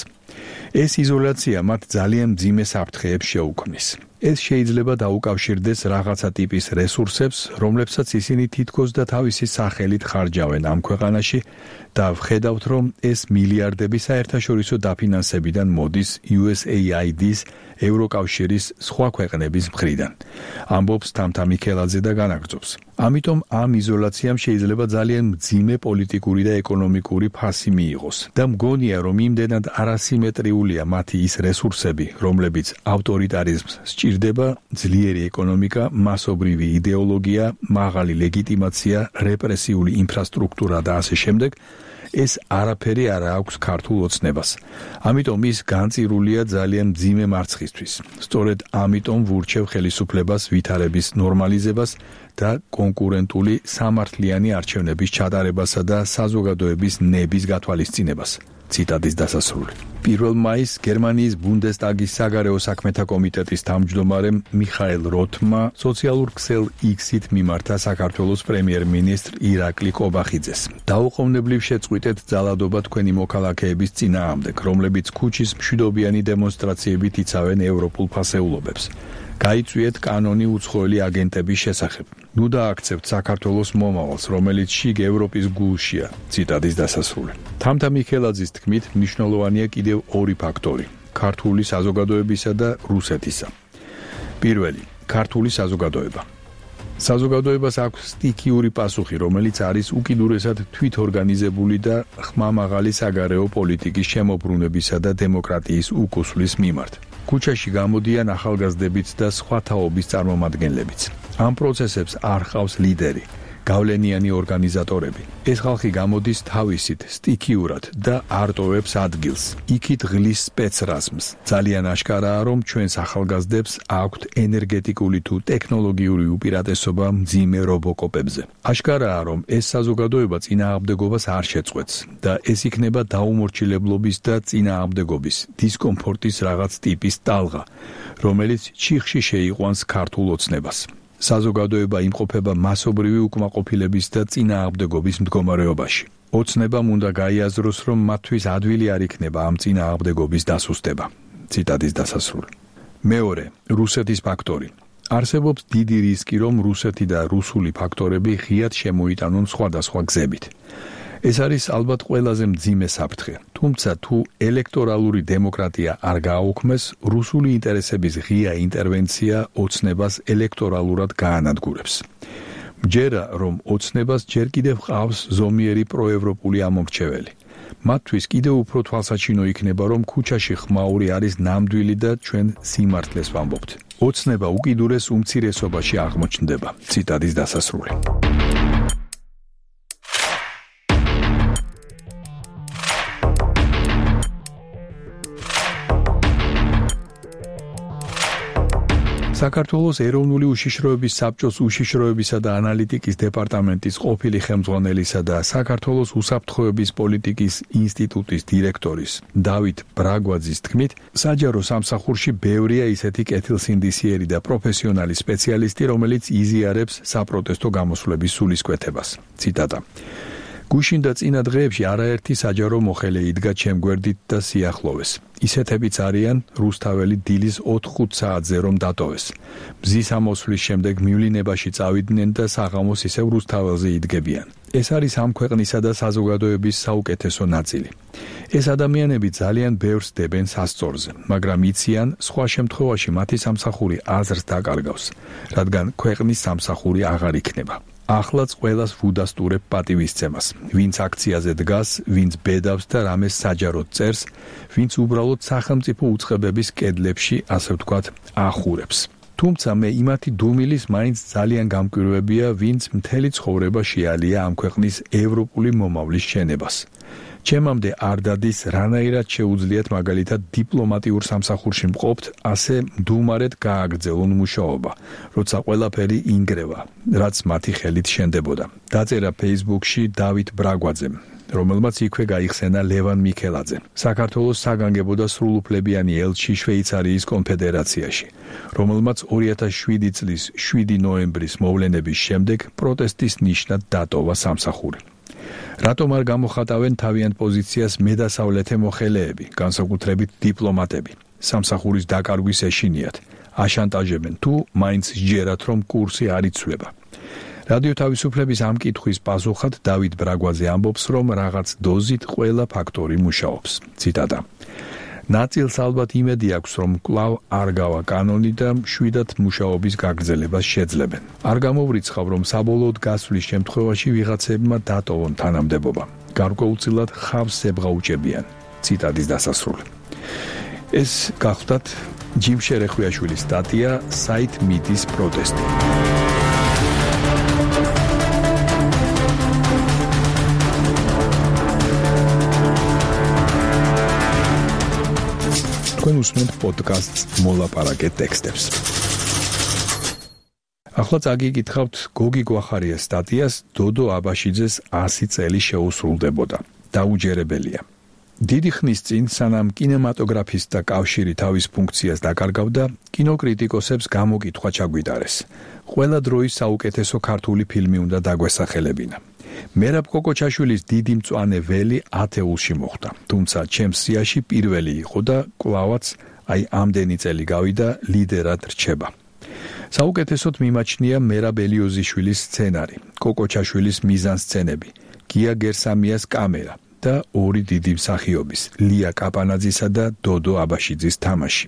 ეს იზოლაცია მათ ძალიან მძიმე საფრთხეებს შეუქმნის. ეს შეიძლება დაუკავშირდეს რაღაცა ტიპის რესურსებს, რომლებსაც ისინი თითქოს და თავისი სახელით ხარჯავენ ამ ქვეყანაში და ვხედავთ, რომ ეს მილიარდები საერთაშორისო დაფინანსებიდან მოდის იუ ეს ეი აი დის, ევროკავშირის სხვა ქვეყნების მხრიდან. ამბობს თამთა მიქელაძე და განაგრძობს. ამიტომ ამ იზოლაციამ შეიძლება ძალიან მძიმე პოლიტიკური და ეკონომიკური ფასი მიიღოს და მგონია, რომ იმდენად არასიმეტრიულია მათი ის რესურსები, რომლებიც ავტორიტარიზმს სჭირდება, ძლიერი ეკონომიკა, მასობრივი იდეოლოგია, მაღალი ლეგიტიმაცია, რეპრესიული ინფრასტრუქტურა და ასე შემდეგ, ეს არაფერი არ აქვს ქართულ ოცნებას. ამიტომ ის განწირულია ძალიან მძიმე მარცხისთვის. სწორედ ამიტომ ვურჩევ ხელისუფლებას ვითარების ნორმალიზებას და კონკურენტული სამართლიანი არჩევნების ჩატარებასა და საზოგადოების ნების გათვალისწინებას. ციტატის დასასრული. პირველ მაისს გერმანიის ბუნდესტაგის საგარეო საქმეთა კომიტეტის თავმჯდომარემ მიხაილ როთმა სოციალურ ქსელ X-ით მიმართა საქართველოს პრემიერ-მინისტრ ირაკლი კობახიძეს. დაუყოვნებლივ შეწყვიტეთ ძალადობა თქვენი მოქალაქეების წინააღმდეგ, რომლებიც ქუჩის მშვიდობიანი დემონსტრაციებით იცავენ ევროპულ ფასეულობებს. გაიწვიეთ კანონი უცხოელი აგენტების შესახებ. ნუ დააქცევთ საქართველოს მომავალს, რომელიც შიგ ევროპის გულშია. ციტატის დასასრული. თამთა მიქელაძის თქმით, მნიშვნელოვანია კიდევ ორი ფაქტორი: ქართული საზოგადოებისა და რუსეთისა. პირველი, ქართული საზოგადოება. საზოგადოებას აქვს სტიქიური პასუხი, რომელიც არის უკიდურესად თვითორგანიზებული და ხმამაღალი საგარეო პოლიტიკის შემოbrunებისა და დემოკრატიის უკუსვლის მიმართ. ქუჩაში გამოდიან ახალგაზრდებიც და სხვა თაობის წარმომადგენლებიც. ამ პროცესებს არ ჰყავს ლიდერი, გავლენიანი ორგანიზატორები. ეს ხალხი გამოდის თავისით, სტიქიურად და არ ტოვებს ადგილს. იქით ღლის სპეცრაზმს. ძალიან აშკარაა, რომ ჩვენს ახალგაზრდებს აქვთ ენერგეტიკული თუ ტექნოლოგიური უპირატესობა მძიმე რობოკოპებზე. აშკარაა, რომ ეს საზოგადოება წინააღმდეგობას არ შეწყვეტს და ეს იქნება დაუმორჩილებლობის და წინააღმდეგობის, დისკომფორტის რაღაც ტიპის ტალღა, რომელიც ჩიხში შეიყვანს ქართულ ოცნებას. საზოგადოება იმყოფება მასობრივი უკმაყოფილების და წინააღმდეგობის მდგომარეობაში. ოცნებამ უნდა გაიაზროს, რომ მათთვის ადვილი არ იქნება ამ წინააღმდეგობის დასუსტება. ციტატის დასასრული. მეორე, რუსეთის ფაქტორი. არსებობს დიდი რისკი, რომ რუსეთი და რუსული ფაქტორები ღიად შემოიტანონ სხვადასხვა გზებით. ეს არის ალბათ ყველაზე მძიმე საფრთხე. თუმცა თუ ელექტორალური დემოკრატია არ გააუქმეს, რუსული ინტერესების ღია ინტერვენცია ოცნებას ელექტორალურად გაანადგურებს. მჯერა, რომ ოცნებას ჯერ კიდევ ჰყავს ზომიერი პროევროპული ამომრჩეველი. მათთვის კიდევ უფრო თვალსაჩინო იქნება, რომ ქუჩაში ხმაური არის ნამდვილი და ჩვენ სიმართლეს ვამბობთ. ოცნება უკიდურეს უმცირესობაში აღმოჩნდება. ციტატის დასასრული. საქართველოს ეროვნული უშიშროების საბჭოს უშიშროებისა და ანალიტიკის დეპარტამენტის ყოფილი ხელმძღვანელისა და საქართველოს უსაფრთხოების პოლიტიკის ინსტიტუტის დირექტორის დავით ბრაგვაძის თქმით, საჯარო სამსახურში ბევრია ისეთი კეთილსინდისიერი და პროფესიონალი სპეციალისტი, რომელიც იზიარებს საპროტესტო გამოსვლების სულისკვეთებას. ციტატა. გუშინ და წინა დღეებში არაერთი საჯარო მოხელე იდგა ჩემ გვერდით და სიახლოვეს. ისეთებიც არიან რუსთაველი დილის ოთხ-ხუთ საათზე რომ დატოვეს. მზის ამოსვლის შემდეგ მივლინებაში წავიდნენ და საღამოს ისევ რუსთაველზე იდგებიან. ეს არის ამ ქვეყნისა და საზოგადოების საუკეთესო ნაწილი. ეს ადამიანები ძალიან ბევრს დებენ სასწორზე, მაგრამ იციან, სხვა შემთხვევაში მათი სამსახური აზრს დაკარგავს, რადგან ქვეყნის სამსახური აღარ იქნება. ახლაც ყველას ვუდასტურებ პატივისცემას, ვინც აქციაზე დგას, ვინც ბედავს და რამეს საჯაროდ წერს, ვინც უბრალოდ სახელმწიფო უწყებების კედლებში, ასე ვთქვათ, ახურებს. თუმცა მე იმათი დუმილის მაინც ძალიან გამკვირვებია, ვინც მთელი ცხოვრება შეალია ამ ქვეყნის ევროპული მომავლის შენებას. ჩემამდე არ დადის, რანაირად შეუძლიათ მაგალითად დიპლომატიურ სამსახურში მყოფთ ასე მდუმარედ გააგრძელონ მუშაობა, როცა ყველაფერი ინგრევა, რაც მათი ხელით შენდებოდა. დაწერა Facebook-ში დავით ბრაგვაძემ, რომელმაც იქვე გაიხსენა ლევან მიქელაძე, საქართველოს საგანგებო და სრულუფლებიანი ელჩი შვეიცარიის კონფედერაციაში, რომელმაც ორი ათას შვიდი წლის შვიდი ნოემბრის მოვლენების შემდეგ პროტესტის ნიშნად დატოვა სამსახური. რატომ არ გამოხატავენ თავიანთ პოზიციას მედასავლეთე მოხელეები, განსაკუთრებით დიპლომატები? სამსახურის დაკარგვის ეშინიათ, აშანტაჟებენ თუ მაინც სჯერათ, რომ კურსი არ იცვლება. რადიო თავისუფლების ამ კითხვის პასუხად დავით ბრაგვაძე ამბობს, რომ რაღაც დოზით ყველა ფაქტორი მუშაობს. ციტატა. ნაწილს ალბათ იმედი აქვს, რომ კვლავ არ გავა კანონი და შვიდად მუშაობის გაგრძელებას შეძლებენ. არ გამოვრიცხავ, რომ საბოლოოდ გასვლის შემთხვევაში ვიღაცებმა დატოვონ თანამდებობა. გარკვეულწილად ხავს ებღაუჭებიან. ციტატის დასასრული. ეს გახლდათ ჯიმ შერეხვიაშვილის სტატია საით მიდის პროტესტი. თქვენ უსმენთ პოდკასტს მოლაპარაკე ტექსტებს. ახლა წაგიკითხავთ გოგი გვახარიას სტატიას დოდო აბაშიძეს ასი წელი შეუსრულდებოდა. დაუჯერებელია. დიდი ხნის წინ, სანამ კინემატოგრაფისტთა კავშირი თავის ფუნქციას დაკარგავდა, კინოკრიტიკოსებს გამოკითხვა ჩაგვიტარეს. ყველა დროის საუკეთესო ქართული ფილმი უნდა დაგვესახელებინა. მერაბ კოკოჩაშვილის დიდი მწვანე ველი ათეულში მოხვდა, თუმცა ჩემს სიაში პირველი იყო და კვლავაც აი ამდენი წელი გავიდა ლიდერად რჩება. საუკეთესოდ მიმაჩნია მერაბ ელიოზიშვილის სცენარი, კოკოჩაშვილის მიზანსცენები, გია გერსამიას კამერა და ორი დიდი მსახიობის, ლია კაპანაძისა და დოდო აბაშიძის თამაში.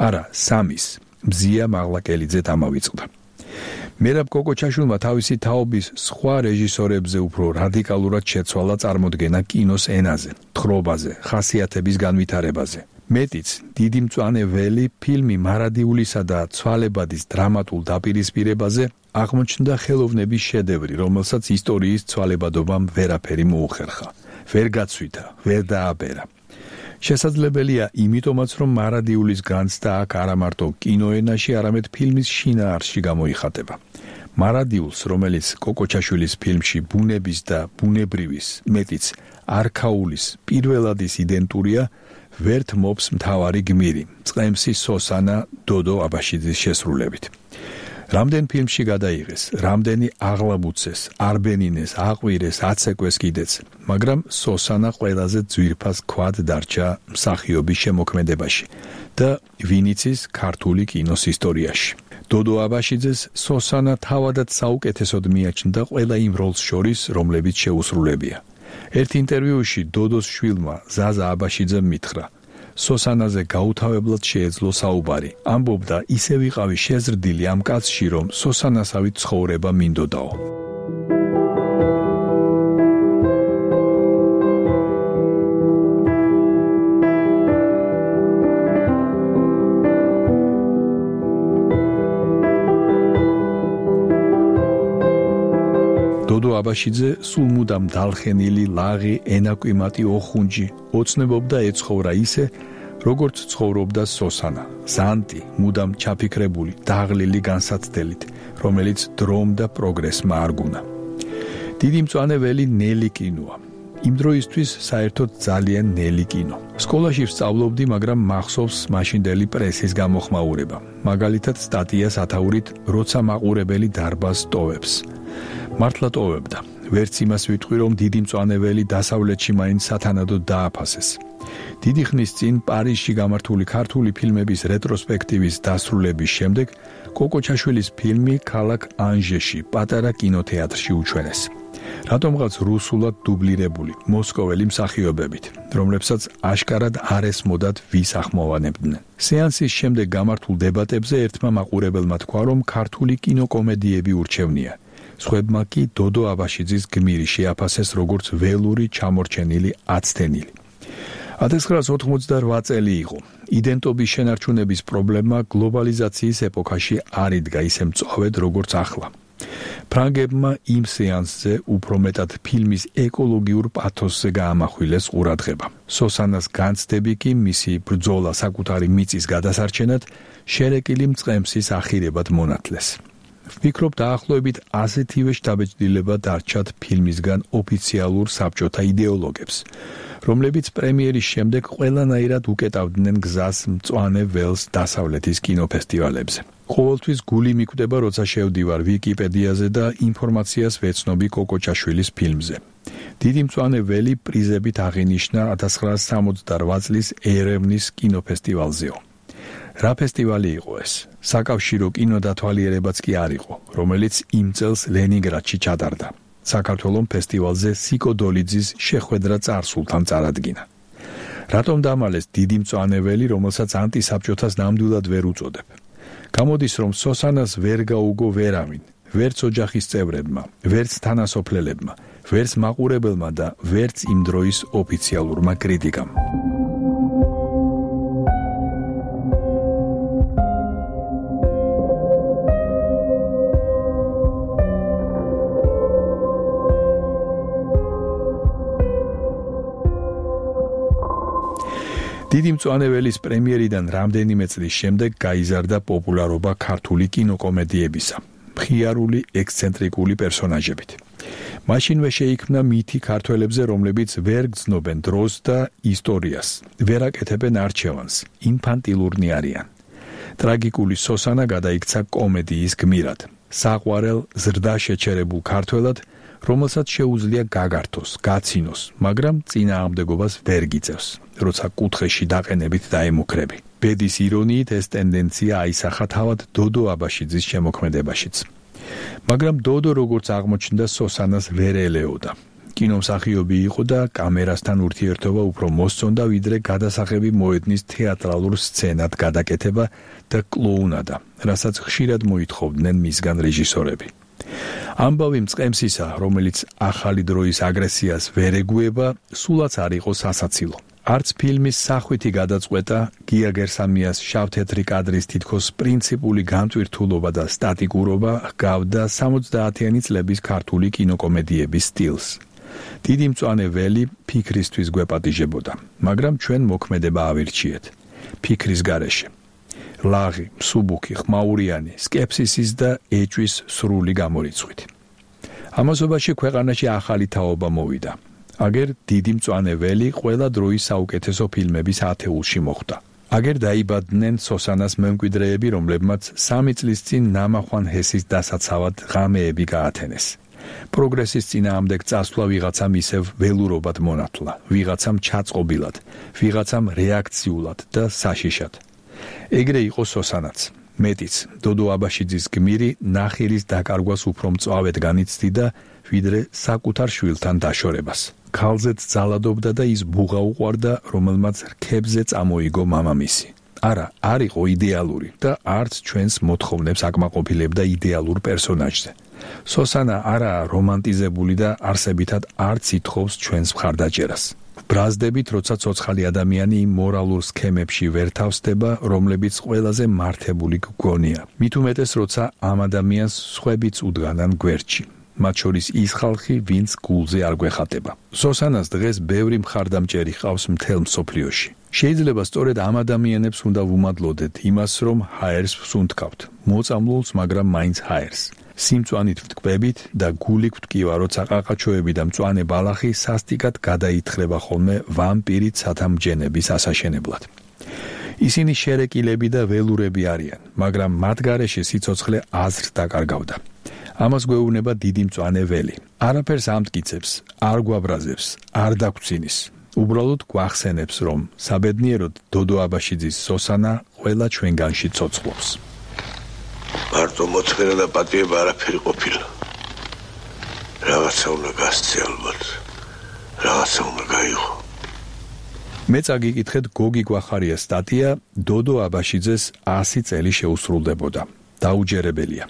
არა, სამის, მზია მაღლაკელიძე დამავიწყდა. მერაბ კოკოჩაშვილმა თავისი თაობის სხვა რეჟისორებზე უფრო რადიკალურად შეცვალა წარმოდგენა კინოს ენაზე, თხრობაზე, ხასიათების განვითარებაზე. მეტიც, დიდი მწვანე ველი ფილმი მარადიულისა და ცვალებადის დრამატულ დაპირისპირებაზე აღმოჩნდა ხელოვნების შედევრი, რომელსაც ისტორიის ცვალებადობამ ვერაფერი მოუხერხა, ვერ გაცვითა, ვერ დააბერა. შესაძლებელია იმიტომაც, რომ მარადიულის განცდა აქ არა მარტო კინოენაში, არამედ ფილმის შინაარსში გამოიხატება. მარადიულს, რომელიც კოკოჩაშვილის ფილმში ბუნების და ბუნებრივის, მეტიც არქაულის პირველადის იდენტურია, ვერთ მობს მთავარი გმირი, წყემსი სოსანა დოდო აბაშიძის შესრულებით. რამდენ ფილმში გადაიღეს, რამდენი აღლაბუცეს, არბენინეს, აყვირეს, აცეკვეს კიდეც, მაგრამ სოსანა ყველაზე ძვირფას ქვად დარჩა მსახიობის შემოქმედებაში და ვინიცის ქართული კინოს ისტორიაში. დოდო აბაშიძეს სოსანა თავადაც საუკეთესოდ მიაჩნდა ყველა იმ როლს შორის, რომლებიც შეუსრულებია. ერთ ინტერვიუში დოდოს შვილმა ზაზა აბაშიძემ მითხრა: სოსანაზე გაუთავებლად შეეძლო საუბარი. ამბობდა, ისე ვიყავი შეზრდილი ამ კაცში, რომ სოსანასავით ცხოვრება მინდოდაო. დოდო აბაშიძე სულ მუდამ დალხენილი, ლაღი, ენაკვიმატი ოხუნჯი ოცნებობდა ეცხოვრა ისე, როგორც ცხოვრობდა სოსანა, ზანტი, მუდამ ჩაფიქრებული, დაღლილი განსაცდელით, რომელიც დრომ და პროგრესმა არ გუნა. დიდი მწვანე ნელი კინოა. იმ დროისთვის საერთოდ ძალიან ნელი კინო. სკოლაში ვსწავლობდი, მაგრამ მახსოვს მაშინდელი პრესის გამოხმაურება. მაგალითად სტატია სათაურით, როცა მაყურებელი დარბაზს ტოვებს. მართლა ტოვებდა. ვერც იმას ვიტყვი, რომ დიდი მწვანე დასავლეთში მაინც სათანადოდ დააფასეს. დიდი ხნის წინ პარიზში გამართული ქართული ფილმების რეტროსპექტივის დასრულების შემდეგ კოკოჩაშვილის ფილმი ქალაქ ანჟეში, პატარა კინოთეატრში უჩვენეს. რატომღაც რუსულად დუბლირებული, მოსკოველი მსახიობებით, რომლებსაც აშკარად არ ესმოდათ ვის ახმოვანებდნენ. სეანსის შემდეგ გამართულ დებატებზე ერთმა მაყურებელმა თქვა, რომ ქართული კინოკომედიები ურჩევნია. სხვებმა კი დოდო აბაშიძის გმირი შეაფასეს როგორც ველური ჩამორჩენილი აცდენილი. ათას ცხრაასი ოცდაოთხ წელი იყო. იდენტობის შენარჩუნების პრობლემა გლობალიზაციის ეპოქაში არ იდგა ისე მწვავედ როგორც ახლა. ფრანგებმა იმ სეანსზე უფრო მეტად ფილმის ეკოლოგიურ პათოსზე გაამახვილეს ყურადღება. სოსანას განცდები კი მისი ბრძოლა საკუთარი მიწის გადასარჩენად შერეკილი მწყემსის ახირებად მონათლეს. ვფიქრობ, დაახლოებით ასეთივე შთაბეჭდილება დარჩათ ფილმისგან ოფიციალურ საბჭოთა იდეოლოგებს, რომლებიც პრემიერის შემდეგ ყველანაირად უკეტავდნენ გზას მწვანე ველს დასავლეთის კინოფესტივალებზე. ყოველთვის გული მიკვდება, როცა შევდივარ ვიკიპედიაზე და ინფორმაციას ვეცნობი კოკოჩაშვილის ფილმზე. დიდი მწვანე ველი პრიზებით აღინიშნა ათას ცხრაასი სამოცდარვა წლის ერევნის კინოფესტივალზეო. რა ფესტივალი იყო ეს? საკავშირო კინოდათვალიერებაც კი არ იყო, რომელიც იმ წელს ლენინგრადში ჩატარდა. საქართველოს ფესტივალზე სიკო დოლიძის შეხვედრა წარსულთან წარადგინა. რატომ დამალეს დიდი მწვანე ველი, რომელსაც ანტისაბჭოთას ნამდვილად ვერ უწოდებ? გამოდის, რომ სოსანას ვერ გაუგო ვერავინ, ვერც ოჯახის წევრებმა, ვერც თანასოფლელებმა, ვერც მაყურებელმა და ვერც იმ დროის ოფიციალურმა კრიტიკამ. დიდი მწვანე ველის პრემიერიდან რამდენიმე წლის შემდეგ გაიზარდა პოპულარობა ქართული კინოკომედიებისა, მხიარული ექსცენტრიკული პერსონაჟებით. მაშინვე შეიქმნა მითი ქართველებზე, რომლებიც ვერ გრძნობენ დროს და ისტორიას, ვერ აკეთებენ არჩევანს, ინფანტილურნი არიან. ტრაგიკული სოსანა გადაიქცა კომედიის გმირად, საყვარელ ზრდა შეჩერებულ ქართველად, რომელსაც შეუძლია გაგართოს, გაცინოს, მაგრამ წინააღმდეგობას ვერ გიწევს, როცა კუთხეში დაყენებით დაემუქრები. ბედის ირონიით ეს ტენდენცია აისახა თავად დოდო აბაშიძის შემოქმედებაშიც. მაგრამ დოდო როგორც აღმოჩნდა სოსანას ვერ ელეოდა. კინომსახიობი იყო და კამერასთან ურთიერთობა უფრო მოსწონდა, ვიდრე გადასაღები მოედნის თეატრალურ სცენად გადაკეთება და კლოუნადა, რასაც ხშირად მოითხოვდნენ მისგან რეჟისორები. ამბავი მწყემსისა, რომელიც ახალი დროის აგრესიას ვერ ეგუება, სულაც არ იყო სასაცილო. არც ფილმის სახვითი გადაწყვეტა, გია გერსამიას შავთეთრი კადრის თითქოს პრინციპული განტვირთულობა და სტატიკურობა ჰგავდა სამოცდაათიანი წლების ქართული კინოკომედიების სტილს. დიდი მწვანე ველი ფიქრისთვის გვეპატიჟებოდა, მაგრამ ჩვენ მოქმედება ავირჩიეთ ფიქრის გარეშე. ლაღი, მსუბუქი, ხმაურიანი, სკეპსისის და ეჭვის სრული გამორიცხვით. ამასობაში ქვეყანაში ახალი თაობა მოვიდა. აგერ დიდი მწვანე ველი ყველა დროის საუკეთესო ფილმების ათეულში მოხვდა. აგერ დაიბადნენ სოსანას მემკვიდრეები, რომლებმაც სამი წლის წინ ნამახვან ჰესის დასაცავად ღამეები გაათენეს. პროგრესის წინააღმდეგ წასვლა ვიღაცამ ისევ ველურობად მონათლა, ვიღაცამ ჩაწყობილად, ვიღაცამ რეაქციულად და საშიშად. ეგრე იყო სოსანაც. მეტიც, დოდო აბაშიძის გმირი ნახირის დაკარგვას უფრო მწვავედ განიცდიდა, ვიდრე საკუთარ შვილთან დაშორებას. ქალზეც ძალადობდა და ის ბუღა უყვარდა, რომელმაც რქებზე წამოიგო მამამისი. არა, არ იყო იდეალური და არც ჩვენს მოთხოვნებს აკმაყოფილებდა იდეალურ პერსონაჟზე. სოსანა არაა რომანტიზებული და არსებითად არც ითხოვს ჩვენს მხარდაჭერას. ბრაზდებით, როცა ცოცხალი ადამიანი იმ მორალურ სქემებში ვერ თავსდება, რომლებიც ყველაზე მართებული გგონია. მით უმეტეს, როცა ამ ადამიანს სხვებიც უდგანან გვერდში. მათ შორის ის ხალხი, ვინც გულზე არ გვეხატება. სოსანას დღეს ბევრი მხარდამჭერი ჰყავს მთელ მსოფლიოში. შეიძლება სწორედ ამ ადამიანებს უნდა ვუმადლოდეთ იმას, რომ ჰაერს ვსუნთქავთ. მოწამლულს, მაგრამ მაინც ჰაერს. სიმწვანით ვტკვებით და გულით ვტკივა, როცა ყაყაჩოები და მწვანე ბალახი სასტიკად გადაითხრება ხოლმე ვამპირით სათამბჯენების ასაშენებლად. ისინი შერეკილები და ველურები არიან, მაგრამ მათ გარეშე სიცოცხლე აზრს დაკარგავდა. ამას გვეუბნება დიდი მწვანე ველი. არაფერს ამტკიცებს, არ გვაბრაზებს, არ დაგვცინის. უბრალოდ გვახსენებს, რომ საბედნიეროდ დოდო აბაშიძის სოსანა ყველა ჩვენგანში ცოცხლობს. მარტო მოწმენა და პატიება არაფერი ყოფილა. რაღაცა უნდა გასცე ალბათ. რაღაცა უნდა გაიღო. მე წაგიკითხეთ გოგი გვახარიას სტატია დოდო აბაშიძეს ასი წელი შეუსრულდებოდა. დაუჯერებელია.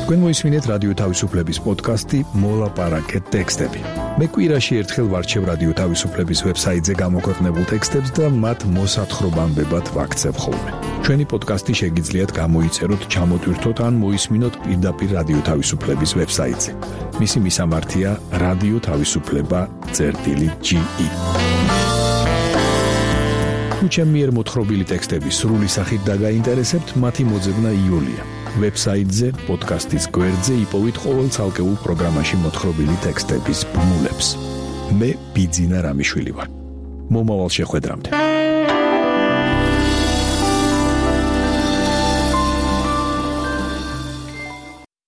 თქვენ მოისმინეთ რადიო თავისუფლების პოდკასტი მოლაპარაკეთ ტექსტები. მე კვირაში ერთხელ ვარჩევ რადიო თავისუფლების ვებსაიტზე გამოქვეყნებულ ტექსტებს და მათ მოსათხრობამდებად ვაქცევ ხოლმე. ჩვენი პოდკასტი შეგიძლიათ გამოიწეროთ, ჩამოტვირთოთ ან მოისმინოთ პირდაპირ რადიო თავისუფლების ვებსაიტზე. მისი მისამართია რადიო თავისუფლება წერტილი ჯი ი. თუ ჩემი მიერ მოთხრობილი ტექსტები სრული სახით დაგაინტერესებთ, მათი მოძებნა იოლია. ვებსაიტზე, პოდკასტის გვერდზე იპოვით ყოველ ცალკეულ პროგრამაში მოთხრობილი ტექსტების ბმულებს. მე ბიძინა რამიშვილი ვარ. მომავალ შეხვედრამდე.